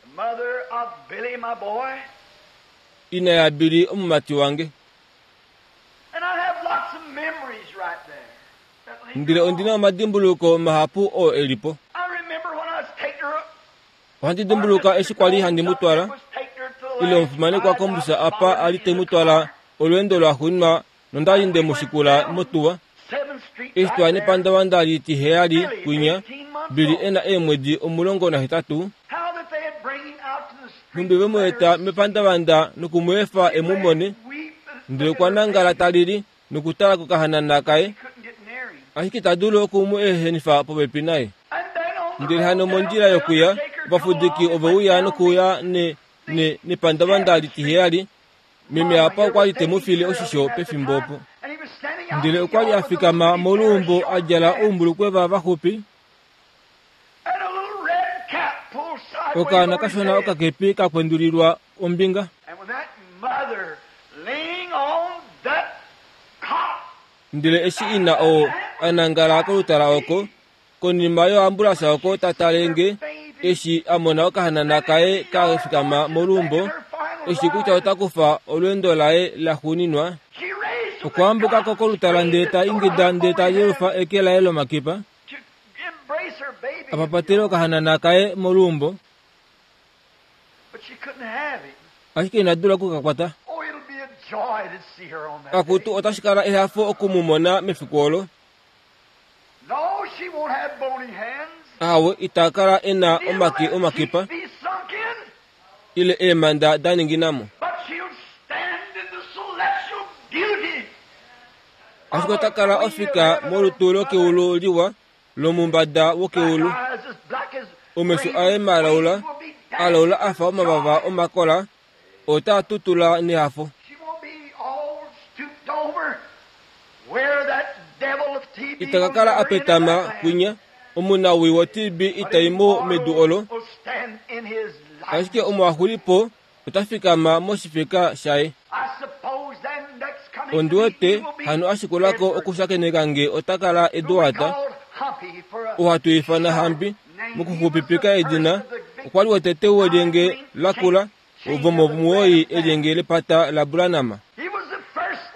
ina yaBilly omumati wange. Ndele ondi na omadimbuluko mahapu oo e li po. Ohandi dimbuluka eshi kwa li handi mu twala, ile omufimanekwa kombusa apa a li te mu twala olweendo lwaxuuninwa nonda li nde mu shikula motuwa. Eshi twa ya nepandavanda litiheyali kwinya, Billy e na eemwedi 18, nhumbi ve mu eta mepandavanda noku mu efa e mu mone, ndele okwa nangala ta lili nokutala kokahanana kaye, ashike ita dulu oku mu ehenifa popepi naye. Ndele hano mondjila yokuya, ovafudiki ove uya nokuuya ne, ne, nepandavanda litiheyali. Meme apa okwa li te mu file oshisho pefimbo opo. Ndele okwa li a fikama moluumbo a djala oumbulukweva vaxupi, okaana kashona okakepi ka kwendulilwa ombinga. Ndele eshi ina oo a nangala kolutala oko, konima yoambulansa oko ta tale nge, eshi a mona okahanana kaye ka fikama moluumbo, eshi kutya ota kufa olweendo laye laxuuninwa, okwa ambuka ko kolutala ndele ta ingida ndele ta yelufa eke laye lomakipa, a papatele okahanana kaye moluumbo. Ashike ina dula oku ka kwata. Akutu, otashi kala ehafo oku mu mona mefiku olo. Ahawe, ita kala e na omake omakipa ile eemhanda da ningina mo. Ashike ota kala ofika molutu lokeulu liwa lomumbada wokeulu. Omesho aye malaula, alaula a fa omavava omakola, otaa tutula nehafo. Ita ka kala a petama kwinya, omunawii woTB itai mo medu olo, ashike omo a xuli po ota fikama moshifeka shaye. Ondi wete hano a shikula ko okushakeneka nge ota kala Edward, oo hatu ifana Hambi mokuxupipika edina, okwa li wotete welyenge lakula vomomuwoi elyenge lepata laBranham.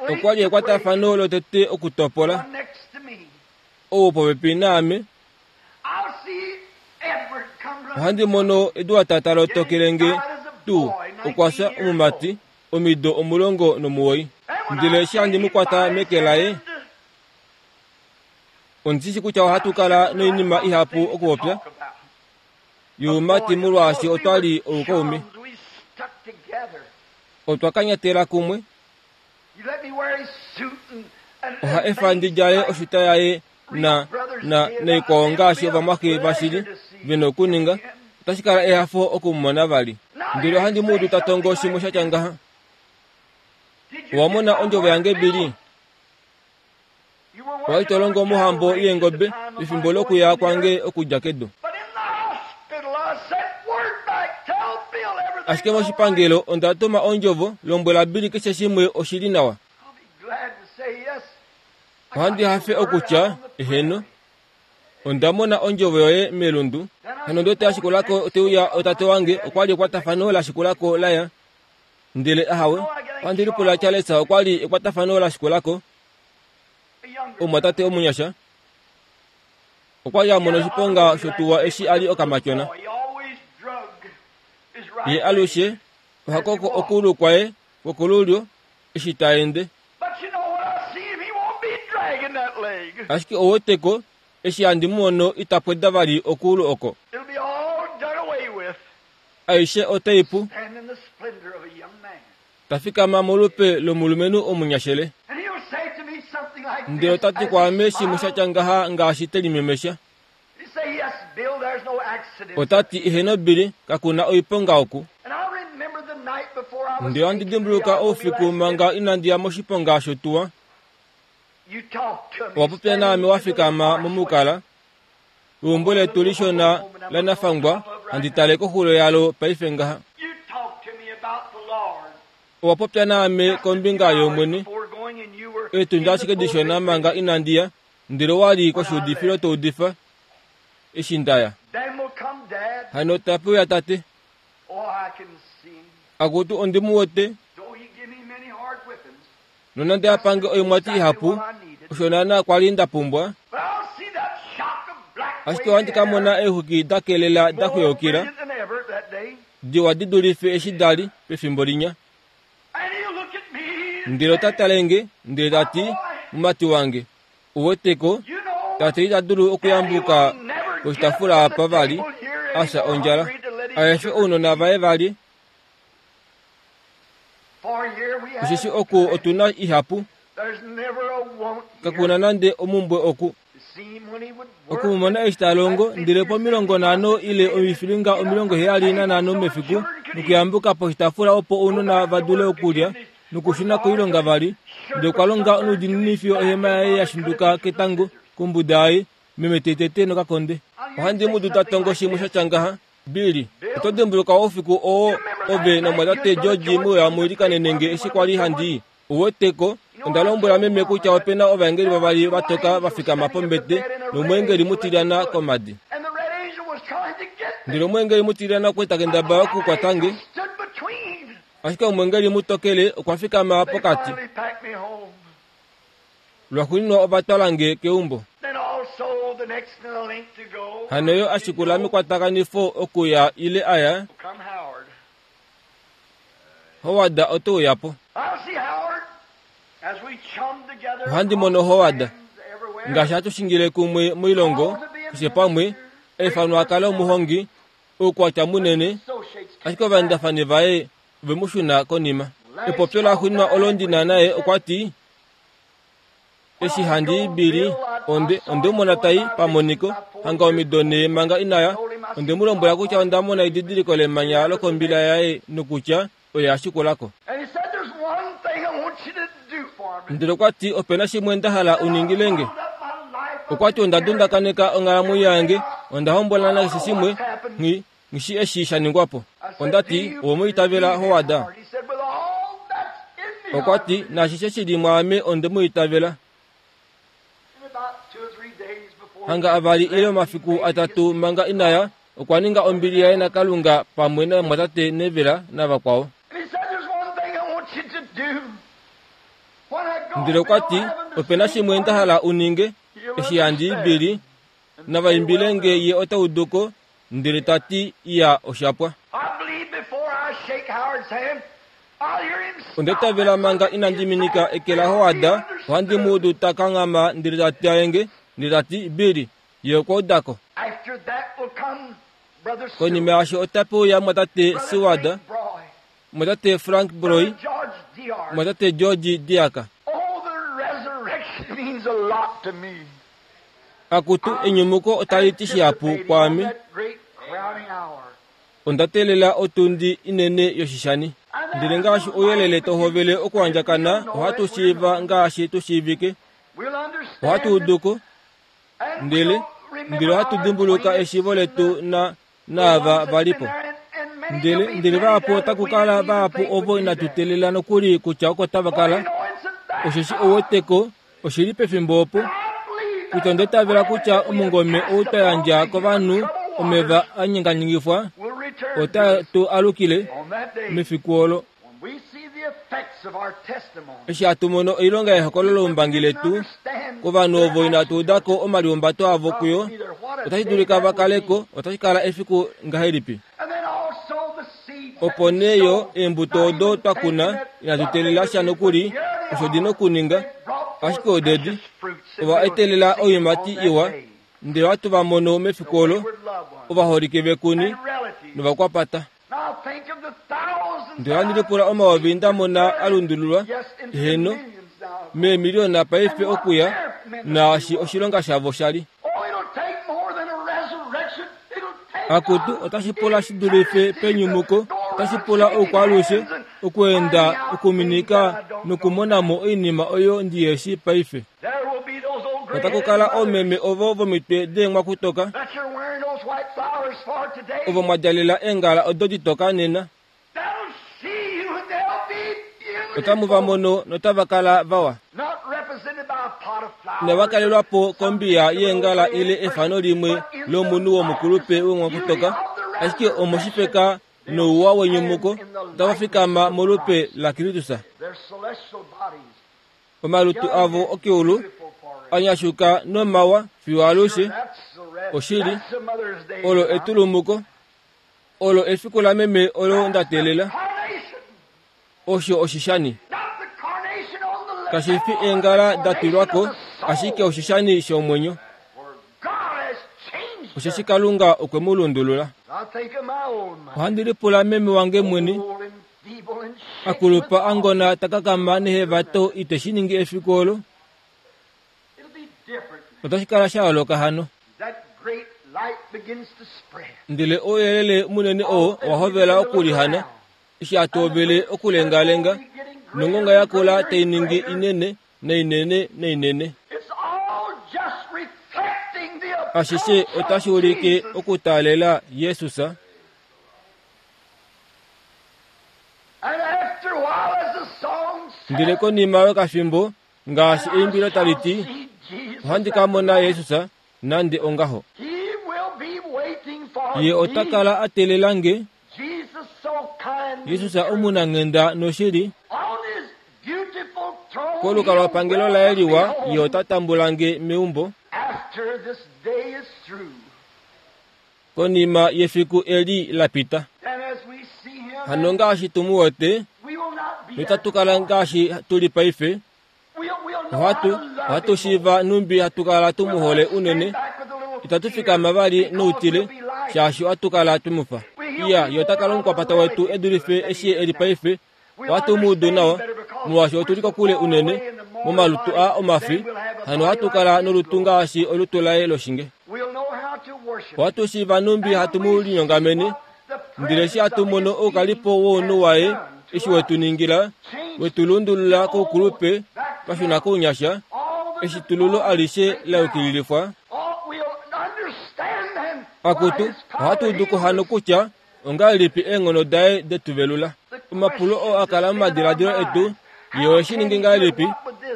Okwa li ekwatafano lotete okutopola ou wopopepi naame. Ohandi mono Edward ta lotokele nge tuu okwa fya omumati omido 19. Ndele eshi handi mu kwata meke laye, ondi shi kutya ohatu kala noinima ihapu okupopya youmati molwaashi otwa li oukaume. Otwa kanyatela kumwe. Oha efa ndi djale oshuta yaye na na naikwao ngaashi ovamwaxe vashili ve na okuninga. Otashi kala ehafo oku mu mona vali. Ndele ohandi mu udu ta tongo shimwe sha tya ngaha. Owa mona ondjovo yange, Billy? Owa li to longo mohambo yeengobe pefimbo lokuya kwange okudja kedu. Ashike moshipangelo onda tuma ondjovo, lombwela Billy keshe shimwe oshi li nawa. Ohandi hafe okutya, Eheno, onda mona ondjovo yoye melundu. Hano ndi wete ashikula ko ote uya otate wange, okwa li ekwatafano la shikula ko la ya. Ndele ahawe, ohandi lipula Charles okwa li ekwatafano la shikula ko. Omumwatate omunyasha okwa li a mona oshiponga shotuwa eshi a li okamatyona. Ye alushe oha koko okuulu kwaye kwokolulyo eshi ta ende. Ashike ou wete ko, eshi handi mu mono ita pweda vali okuulu oko. Aishe otai pu. Ta fikama molupe lomulumenhu omunyashele. Ndele ota ti kwaame shimwe sha tya ngaha ngaashi te limemesha. Ota ti, Eheno Billy, kaku na oiponga oku. Ndele ohandi dimbuluka oufiku manga inandi ya moshiponga shotuwa. Owa popya naame wa fikama momukala weumbo letu lishona lanafangwa, handi tale koxulo yalo paife ngaha. Owa popya naame kombinga yOmwene eetundi ashike dishona manga inandi ya, ndele owa li koshiudifilo to udifa eshi nda ya. Hano tape uya tate. Akutu ondi mu wete. Nonande a pange oimwati ihapu, osho naanaa kwa li nda pumbwa. Ashike ohandi ka mona eexwiki da kelela da xweukila, diwa di dulife eshi da li pefimbo linya. Ndele ota tale nge, ndele ta ti, Mumati wange, u wete ko, tate ita dulu okuyambuka poshitafula apa vali, a fya ondjala. A efe ounona vaye va lye. Osheshi oku otu na ihapu, kaku na nande omumbwe oku. Oku mu mona eshi ta longo, ndele pomilongo nhano ile oifilinga 75 mefiku, nokuyambuka poshitaafula opo ounona va dule okulya, nokushuna koilonga vali, ndele okwa longa noudiinini fiyo ohema yaye ya shinduka ketango kombuda yaye, meme te tete nokakonde. Ohandi mu duta tongo shimwe sha tya ngaha. Billy, oto dimbuluka oufiku oo ove namwatate George mwe uya mu ilikanene nge eshi kwa li handi i? Uwete ko, onda lombwela meme kutya ope na ovaengeli vavali va toka va fikama pombete nomweengeli mutilyana komadi. Ndele omweengeli mutilyana okwa li ta kendabala okukwata nge, ashike omweengeli mutokele okwa fikama pokati. Lwaxuuninwa ova twala nge keumbo. Hano yo a shikula mekwatakanifo okuya ile a ya, Howard ote uya po. Ohandi mono Howard, ngaashi hatu shingile kumwe moilongo, keshe pamwe, a ifanwa a kale omuhongi, oukwatya munene, ashike ovaendafani vaye ove mu shuna konima. Epopyo laxuuninwa olo ndi na naye okwa ti, Eshi handi i Billy, onde, onde mu mona tai pamoniko, hanga omido nee manga ina ya. Onde mu lombwela kutya onda mona edidiliko lemanya lokombila yaye nokutya oye a shikula ko. Ndele okwa ti, Ope na shimwe nda hala u ningile nge. Okwa ti, Onda dundakaneka onghalamwenyo yange, onda hombola nakeshe shimwe, nghi, nghi shi eshi sha ningwa po. Onda ti, Owe mu itavela, Howard? Okwa ti, Naashishe shi li mwaame onde mu itavela. Hanga avali ile omafiku atatu manga ina ya, okwa ninga ombili yaye naKalunga pamwe namumwatate Neville navakwao. Ndele okwa ti, Ope na shimwe nda hala u ninge, eshi handi i Billy, nava imbile nge ye ota udu ko, ndele ta ti, Iya, osha pwa. Onda itavela manga inandi minika eke laHoward, ohandi mu udu ta kanghama ndele ta tyaye nge, ndele ta ti, Billy, ye okwa uda ko. Konima yaasho otape uya mumwatate Seward, mumwatate Frank Broy, mumwatate George Diaka. Akutu, enyumuko otali ti shihapu kwaame. Onda teelela otundi inene yoshishani. Ndele ngaashi ouyelele tau hovele okuandjakana, ohatu shiiva ngaashi tu shiivike. Ohatu udu ko, ndele, ndele ohatu dimbuluka eshiivo letu na, naava va li po. Ndele, ndele vahapu otaku kala vahapu ovo inatu teelela nokuli kutya oko tava kala, osheshi ou wete ko, oshi li pefimbo opo, kutya onda itavela kutya omungome ou twa yandja kovanhu omeva a nyenganyengifwa otae tu alukile mefiku olo. Eshi hatu mono oilonga yehokololoumbangi letu kovanhu ovo inatu uda ko omalihumbato avo kuyo, otashi dulika va kale ko, otashi kala efiku ngahelipi? Opo nee yo eembuto odo twa kuna inatu teelela sha nokuli osho di na okuninga, ashike odedi ova etelela oiimati iwa, ndele ohatu va mono mefiku olo, ovaholike vekuni novakwapata. Ndele ohandi lipula omayovi nda mona a lundululwa, heeno, meemiliona paife okuya, naashi oshilonga shavo sha li. Akutu, otashi pula shi dulife penyumuko, otashi pula oukwaalushe, okuenda, okuminika nokumona mo oinima oyo ndi he shii paife. Otaku kala oomeme ovo vomitwe deenghwakutoka, ovo mwa djalela eengala odo ditoka nena. Otamu va mono notava kala vawa. Inava kalelwa po kombiya yeengala ile efano limwe lomunhu womukulupe wenghwakutoka, ashike omoshifeka nouwa wenyumuko otava fikama molupe laKristus. Omalutu avo okeulu a nyashuka nomawa fiyo alushe. Oshili, olo etulumuko. Olo efiku lameme olo nda teelela. Osho oshishani. Kashi fi eengala da tulwa ko, ashike oshishani shomwenyo. Osheshi Kalunga okwe mu lundulula. Ohandi lipula meme wange mwene, a kulupa a ngona ta kakama nehevato ite shi ningi efiku olo. Otashi kala sha yooloka hano. Ndele ouyelele munene oo owa hovela okulihana eshi hatu hovele okulengalenga, nongonga yakula tai ningi inene nainene nainene. Ashishe otashi ulike okutaalela Jesus. Ndele konima yokafimbo, ngaashi eimbilo tali ti, Ohandi ka mona Jesus nande ongaho. Ye ota kala a teelela nge. Jesus omunanghenda noshili. Kolukalwapangelo laye liwa, ye ota tambula nge meumbo. Konima yefiku eli la pita. Hano ngaashi tu mu wete, notatu kala ngaashi tu li paife. Ohatu, ohatu shiiva nhumbi hatu kala tu mu hole unene. Itatu fikama vali noutile, shaashi ohatu kala twe mu fa. Iya, ye ota kala omukwapata wetu e dulife eshi e li paife. Ohatu mu udu nawa, molwaashi otu li kokule unene, momalutu aa omafi, hano ohatu kala nolutu ngaashi olutu laye loshinge. Ohatu shiiva nhumbi hatu mu linyongamene, ndele eshi hatu mono oukalipo wounhu waye eshi we tu ningila, we tu lundulula koukulupe twa shuna kounyasha, eshitululo alishe la yukililifwa, akutu, ohatu udu ko hano kutya ongahelipi eenghono daye de tu velula. Omapulo oo a kala momadiladilo etu, ye ohe shi ningi ngahelipi,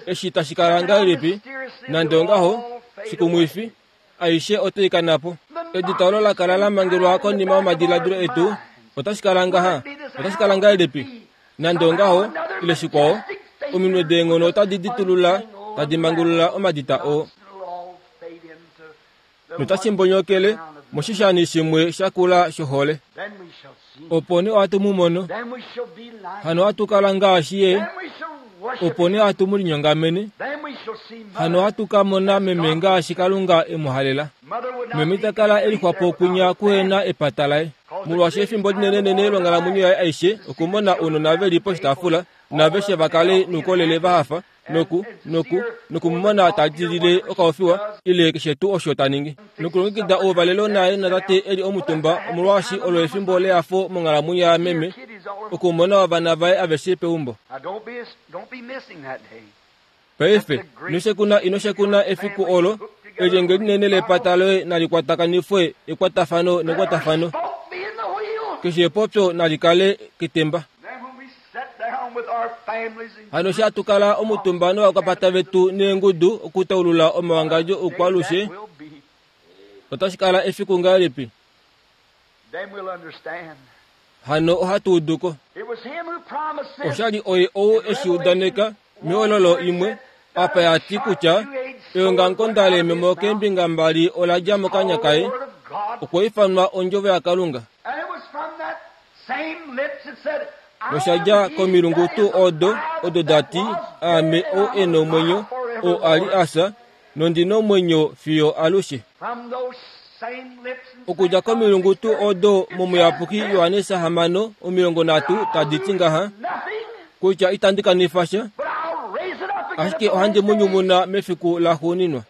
eshi tashi kala ngahelipi, nande ongaho, shikumwifi, aishe otai kana po. Edita olo la kala la mangelwa konima yomadiladilo etu, otashi kala ngaha, otashi kala ngahelipi? Nande ongaho, ile shikwao, ominwe deenghono otadi ditulula, tadi mangulula omadita oo. Notashi mbonyokele moshishani shimwe sha kula shohole. Opo nee ohatu mu mono, hano ohatu kala ngaashi ye, opo nee ohatu mu linyongamene, hano ohatu ka mona meme ngaashi Kalunga e mu halela. Meme ita kala e lixwa po kwinya kuhe na epata laye, molwaashi efimbo linenenene longhalamwenyo yaye aishe okumona ounona ve li poshitaafula naaveshe va kale noukolele va hafa noku noku noku mu mona ta dilile okaofiwa ile keshe tuu osho ta ningi nokulongekida ouvalelo naye natate e li omutumba omolwaashi olo efimbo lehafo monghalamwenyo yameme okumona ovana vaye aveshe peumbo. Paife, ino shekuna, ino shekuna efiku olo, elyenge linene lepata loye nali kwatakanifwe ekwatafano nekwatafano. Keshe epopyo nali kale ketemba. Hano eshi hatu kala omutumba novakwapata vetu neengudu okutaulula omawangadjo oukwalushe, otashi kala efiku ngahelipi? Hano ohatu udu ko. Osha li oye ou e shi udaneka mehololo imwe, apa ya ti kutya eongamukonda leememo keembinga mbali ola dja mokanya kaye, okwa ifanwa Ondjovo yaKalunga. Nosha dja komilungu tuu odo, odo da ti, Aame ou e nomwenyo, oo a li a fya, nondi nomwenyo fiyo alushe. Okudja komilungu tuu odo mOmuyapuki Johannes 6:30 tadi ti ngaha, kutya itandi kanifa sha, ashike ohandi mu nyumuna mefiku laxuuninwa.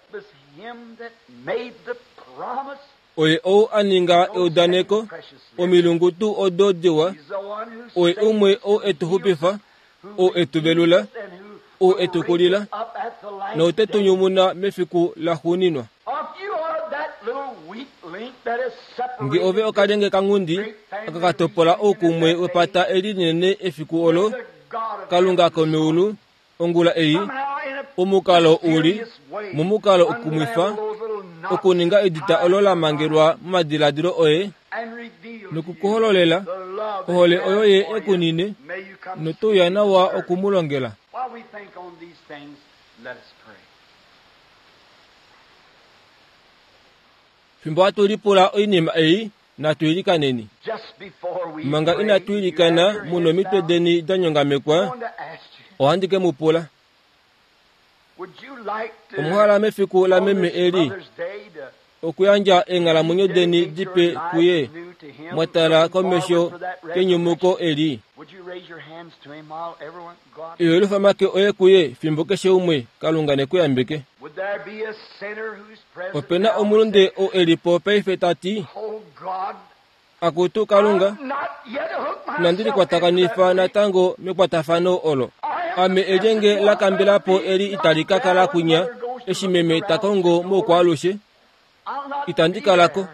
Oye ou a ninga eudaneko, omilungu tuu odo diwa, oye umwe ou e tu xupifa, ou e tu velula, ou e tu kulila, note tu nyumuna mefiku laxuuninwa. Nge ove okalyenge kanghundi aka ka topola oukumwe wepata eli linene efiku olo, Kalunga komeulu, ongula ei, omukalo u li momukalo ukumwifa, okuninga edita olo la mangelwa momadiladilo oye, noku ku hololela ohole oyo ye e ku nine, noto uya nawa oku mu longela. Fimbo hatu lipula oinima ei, natu ilikaneni. Manga inatu ilikana, mu nomitwe deni da nyongamekwa, ohandi ke mu pula. Omwa hala mefiku lameme eli okuyandja eenghalamwenyo deni dipe kuye, mwa tala komesho kenyumuko eli? Iwelufa make oye kuye fimbo keshe umwe, Kalunga ne ku yambeke. Ope na omulunde ou e li po paife ta ti, Akutu Kalunga, inandi likwatakanifa natango mekwatafano olo. Ame elyenge la kambela po eli itali ka kala kwinya eshi meme ta kongo moukwaalushe. Itandi kala ko.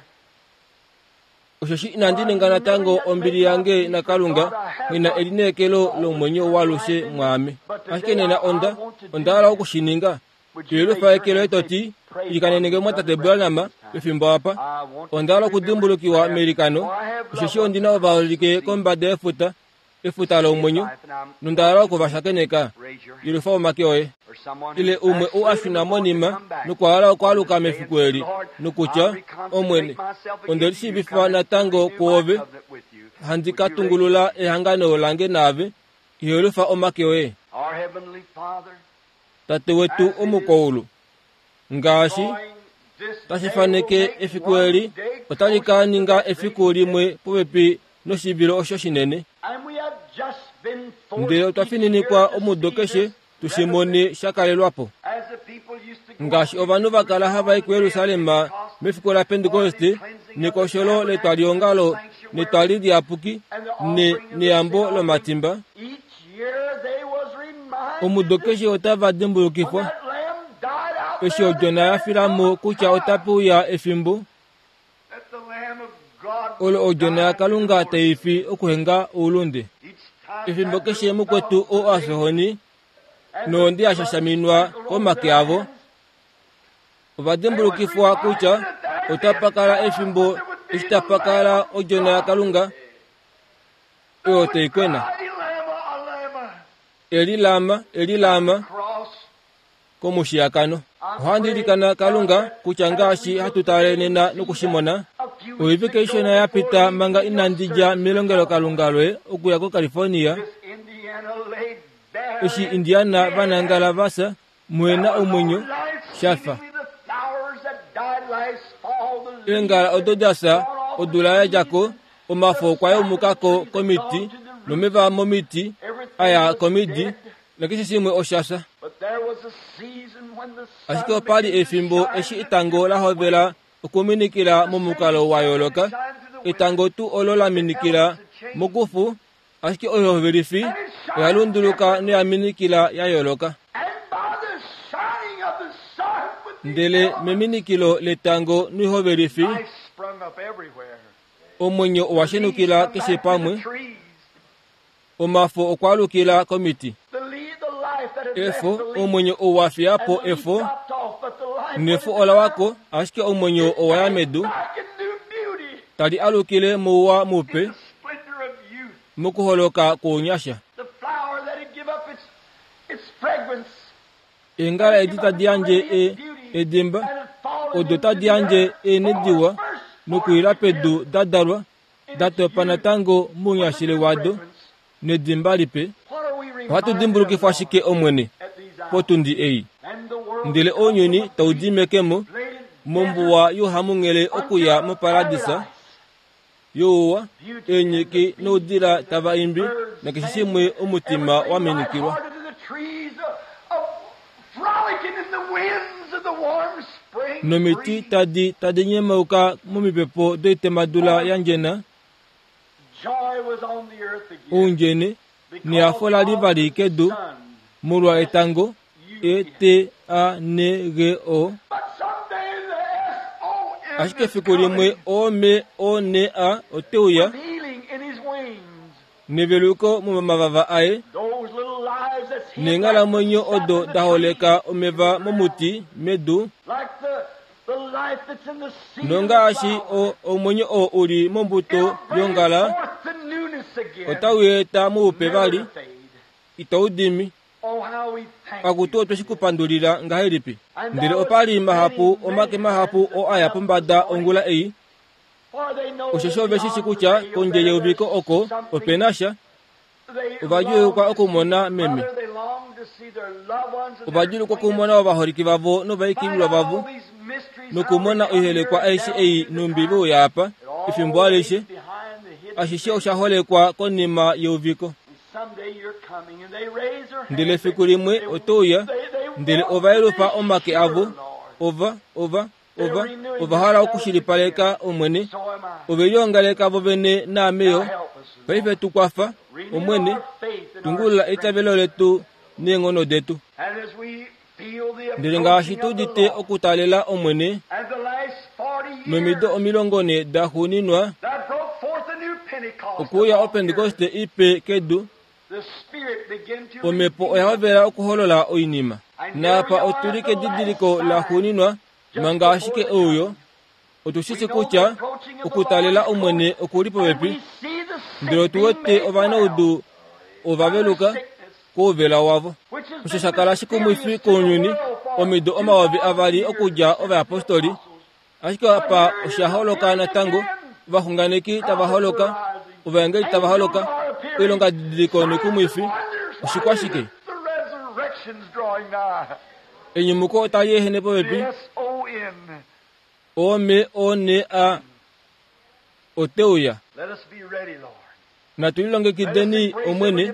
Osheshi inandi ninga natango ombili yange naKalunga, nghi na elineekelo lomwenyo waalushe mwaame. Ashike nena onda, onda hala oku shi ninga. Yelufa eke loye to ti, Ilikanene nge mwatate Branham pefimbo apa. Onda hala okudimbulukiwa meilikano, osheshi ondi na ovaholike kombada yefuta, efuta lomwenyo, nonda hala oku va shakeneka. Yelufa omake oye. Ile umwe ou a shuna monima nokwa hala okwaaluka mefiku eli, nokutya, Omwene, onde lishiivifa natango kwoove, handi ka tungulula ehangano lange naave. Yelufa omake oye. Tate wetu omukoulu, ngaashi tashi faneke efiku eli otali ka ninga efiku limwe popepi noshivilo osho shinene. Ndele otwa fininikwa omudo keshe tu shi mone sha kalelwa po. Ngaashi ovanhu va kala hava i kuJerusalem mefiku laPentekoste nekosholo letwaliongalo netwali liyapuki ne, neyambo lomatimba, omudo keshe otava dimbulukifwa eshi odjona ya fila mo kutya otape uya efimbo olo odjona yaKalunga tai fi okuhenga oulunde. Efimbo keshe mukwetu oo a fyohoni nondi ya shashaminwa komake avo, ova dimbulukifwa kutya otapa kala efimbo eshi tapa kala odjona yaKalunga oyo tai kwena. Eli lama, eli lama komushiyakano. Ohandi ilikana Kalunga kutya ngaashi hatu tale nena noku shi mona, oivike ishona ya pita manga inandi dja melongelokalunga loye okuya koCalifornia, eshi Indiana va nangala va fya, muhe na omwenyo, sha fa eengala odo da fya odula ya dja ko, omafo okwa yaumuka ko komiti, nomeva momiti a ya komidi, nakeshe shimwe osha fya. Ashike opa li efimbo eshi etango la hovela okuminikila momukalo wa yooloka, etango tuu olo la minikila mokufu, ashike oihovelifi oya lunduluka noya minikila ya yooloka. Ndele meminikilo letango noihovelifi, omwenyo owa shenukila keshe pamwe. Omafo okwa alukila komiti. Efo, omwenyo ou wa fiya po efo, nefo ola wa ko, ashike omwenyo owa ya medu, tali alukile mouwa mupe, mokuholoka kwounyasha. Eengala edi tadi yandje e, edimba, odo tadi yandje eenhe diwa, nokuila pedu da dalwa, da topa natango mounyashile wado nedimba lipe. Ohatu dimbulukifwa shike, Omwene, potundi ei? Ndele ounyuni tau di mekemo mombuwa youhamunghele okuya moparadisa youwa, eenyiki noudila tava imbi, nakeshe shimwe omutima wa minikilwa. Nomiti tadi tadi nyemauka momipepo doitemadula ya ndjena, oundjene nehafo la li vali kedu molwa etango, E T A N G O. Ashike efiku limwe O M O N A ote uya neveluko momavava aye, neenghalamwenyo odo da holeka omeva momuti medu, nongaashi o, omwenyo oo u li mombuto yongala, otau eta moupe vali, itau dimi. Akutu otwe shi ku pandulila ngahelipi! Ndele opa li mahapu, omake mahapu oo a ya pombada ongula ei, Osheshi ove shi shi kutya kondje yeuviko oko ope na sha. Ova djuulukwa okumona meme. Ova djuulukwa okumona ovaholike vavo novaikililwa vavo nokumona oihelekwa aishe ei nhumbi ve uya apa efimbo alishe. Ashishe osha holekwa konima yeuviko. Ndele efiku limwe oto uya, ndele ova yelufa omake avo, ova, ova, Ova, ova hala okushilipaleka, Omwene. Ove liongaleka vo vene naame yo. Paife tu kwafa, Omwene, tungulula eitavelo letu neenghono detu. Ndele ngaashi tu udite okutaalela Omwene, nomido 40 daxuuninwa, okuuya Opentekoste ipe kedu, Omhepo oya hovela okuholola oinima. Naapa otu li kedidiliko laxuuninwa manga ashike euyo. Otu shi shi kutya okutalela Omwene oku li popepi, ndele otu wete ovanaudu ova veluka kouvela wavo. Osho sha kala shikumwifi kounyuni omido 2000 okudja ovayapostoli Ashike apa osha holoka natango, ovaxunganeki tava holoka, ovaengeli tava holoka, oilongadidiliko noikumwifi. Oshikwa shike? Enyumuko otali ehene popepi. Ome o ne a ote uya. Natu lilongekideni, Omwene,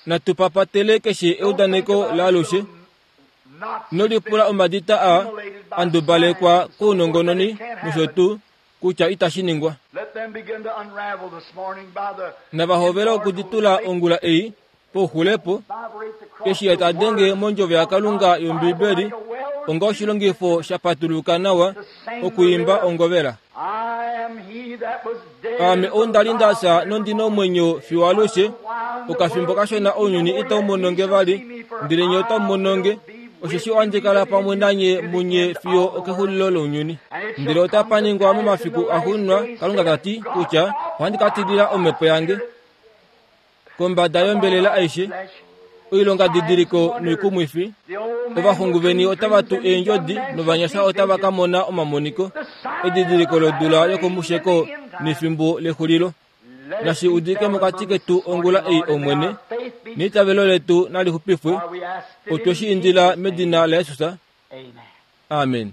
natu papatele keshe eudaneko laalushe. Ino lipula omadita a a ndubalekwa kounongononi nosho tuu, kutya itashi ningwa. Nava hovele okuditula ongula ei, pouxulepo, eshi ye ta denge mondjovo yaKalunga yOmbibeli onga oshilongifo sha patuluka nawa okwiimba ongovela. Aame ou nda li nda fya nondi na omwenyo fiyo alushe, okafimbo kashona ounyuni itau mono nge vali, ndele nye otamu mono nge, osheshi ohandi kala pamwe nanye munye fiyo okexulilo lounyuni. Ndele otapa ningwa momafiku axuuninwa, Kalunga ta ti, kutya ohandi ka tilila omhepo yange kombada yombelela aishe, oilongadidiliko noikumwifi. Ovaxungu veni otava tu eendjodi novanyasha otava ka mona omamoniko, edidiliko lodula yokomusheko nefimbo lexulilo. Nashi udike mokati ketu ongula ei, Omwene, neitavelo letu nali xupifwe. Otwe shi indila medina laJesus. Amen.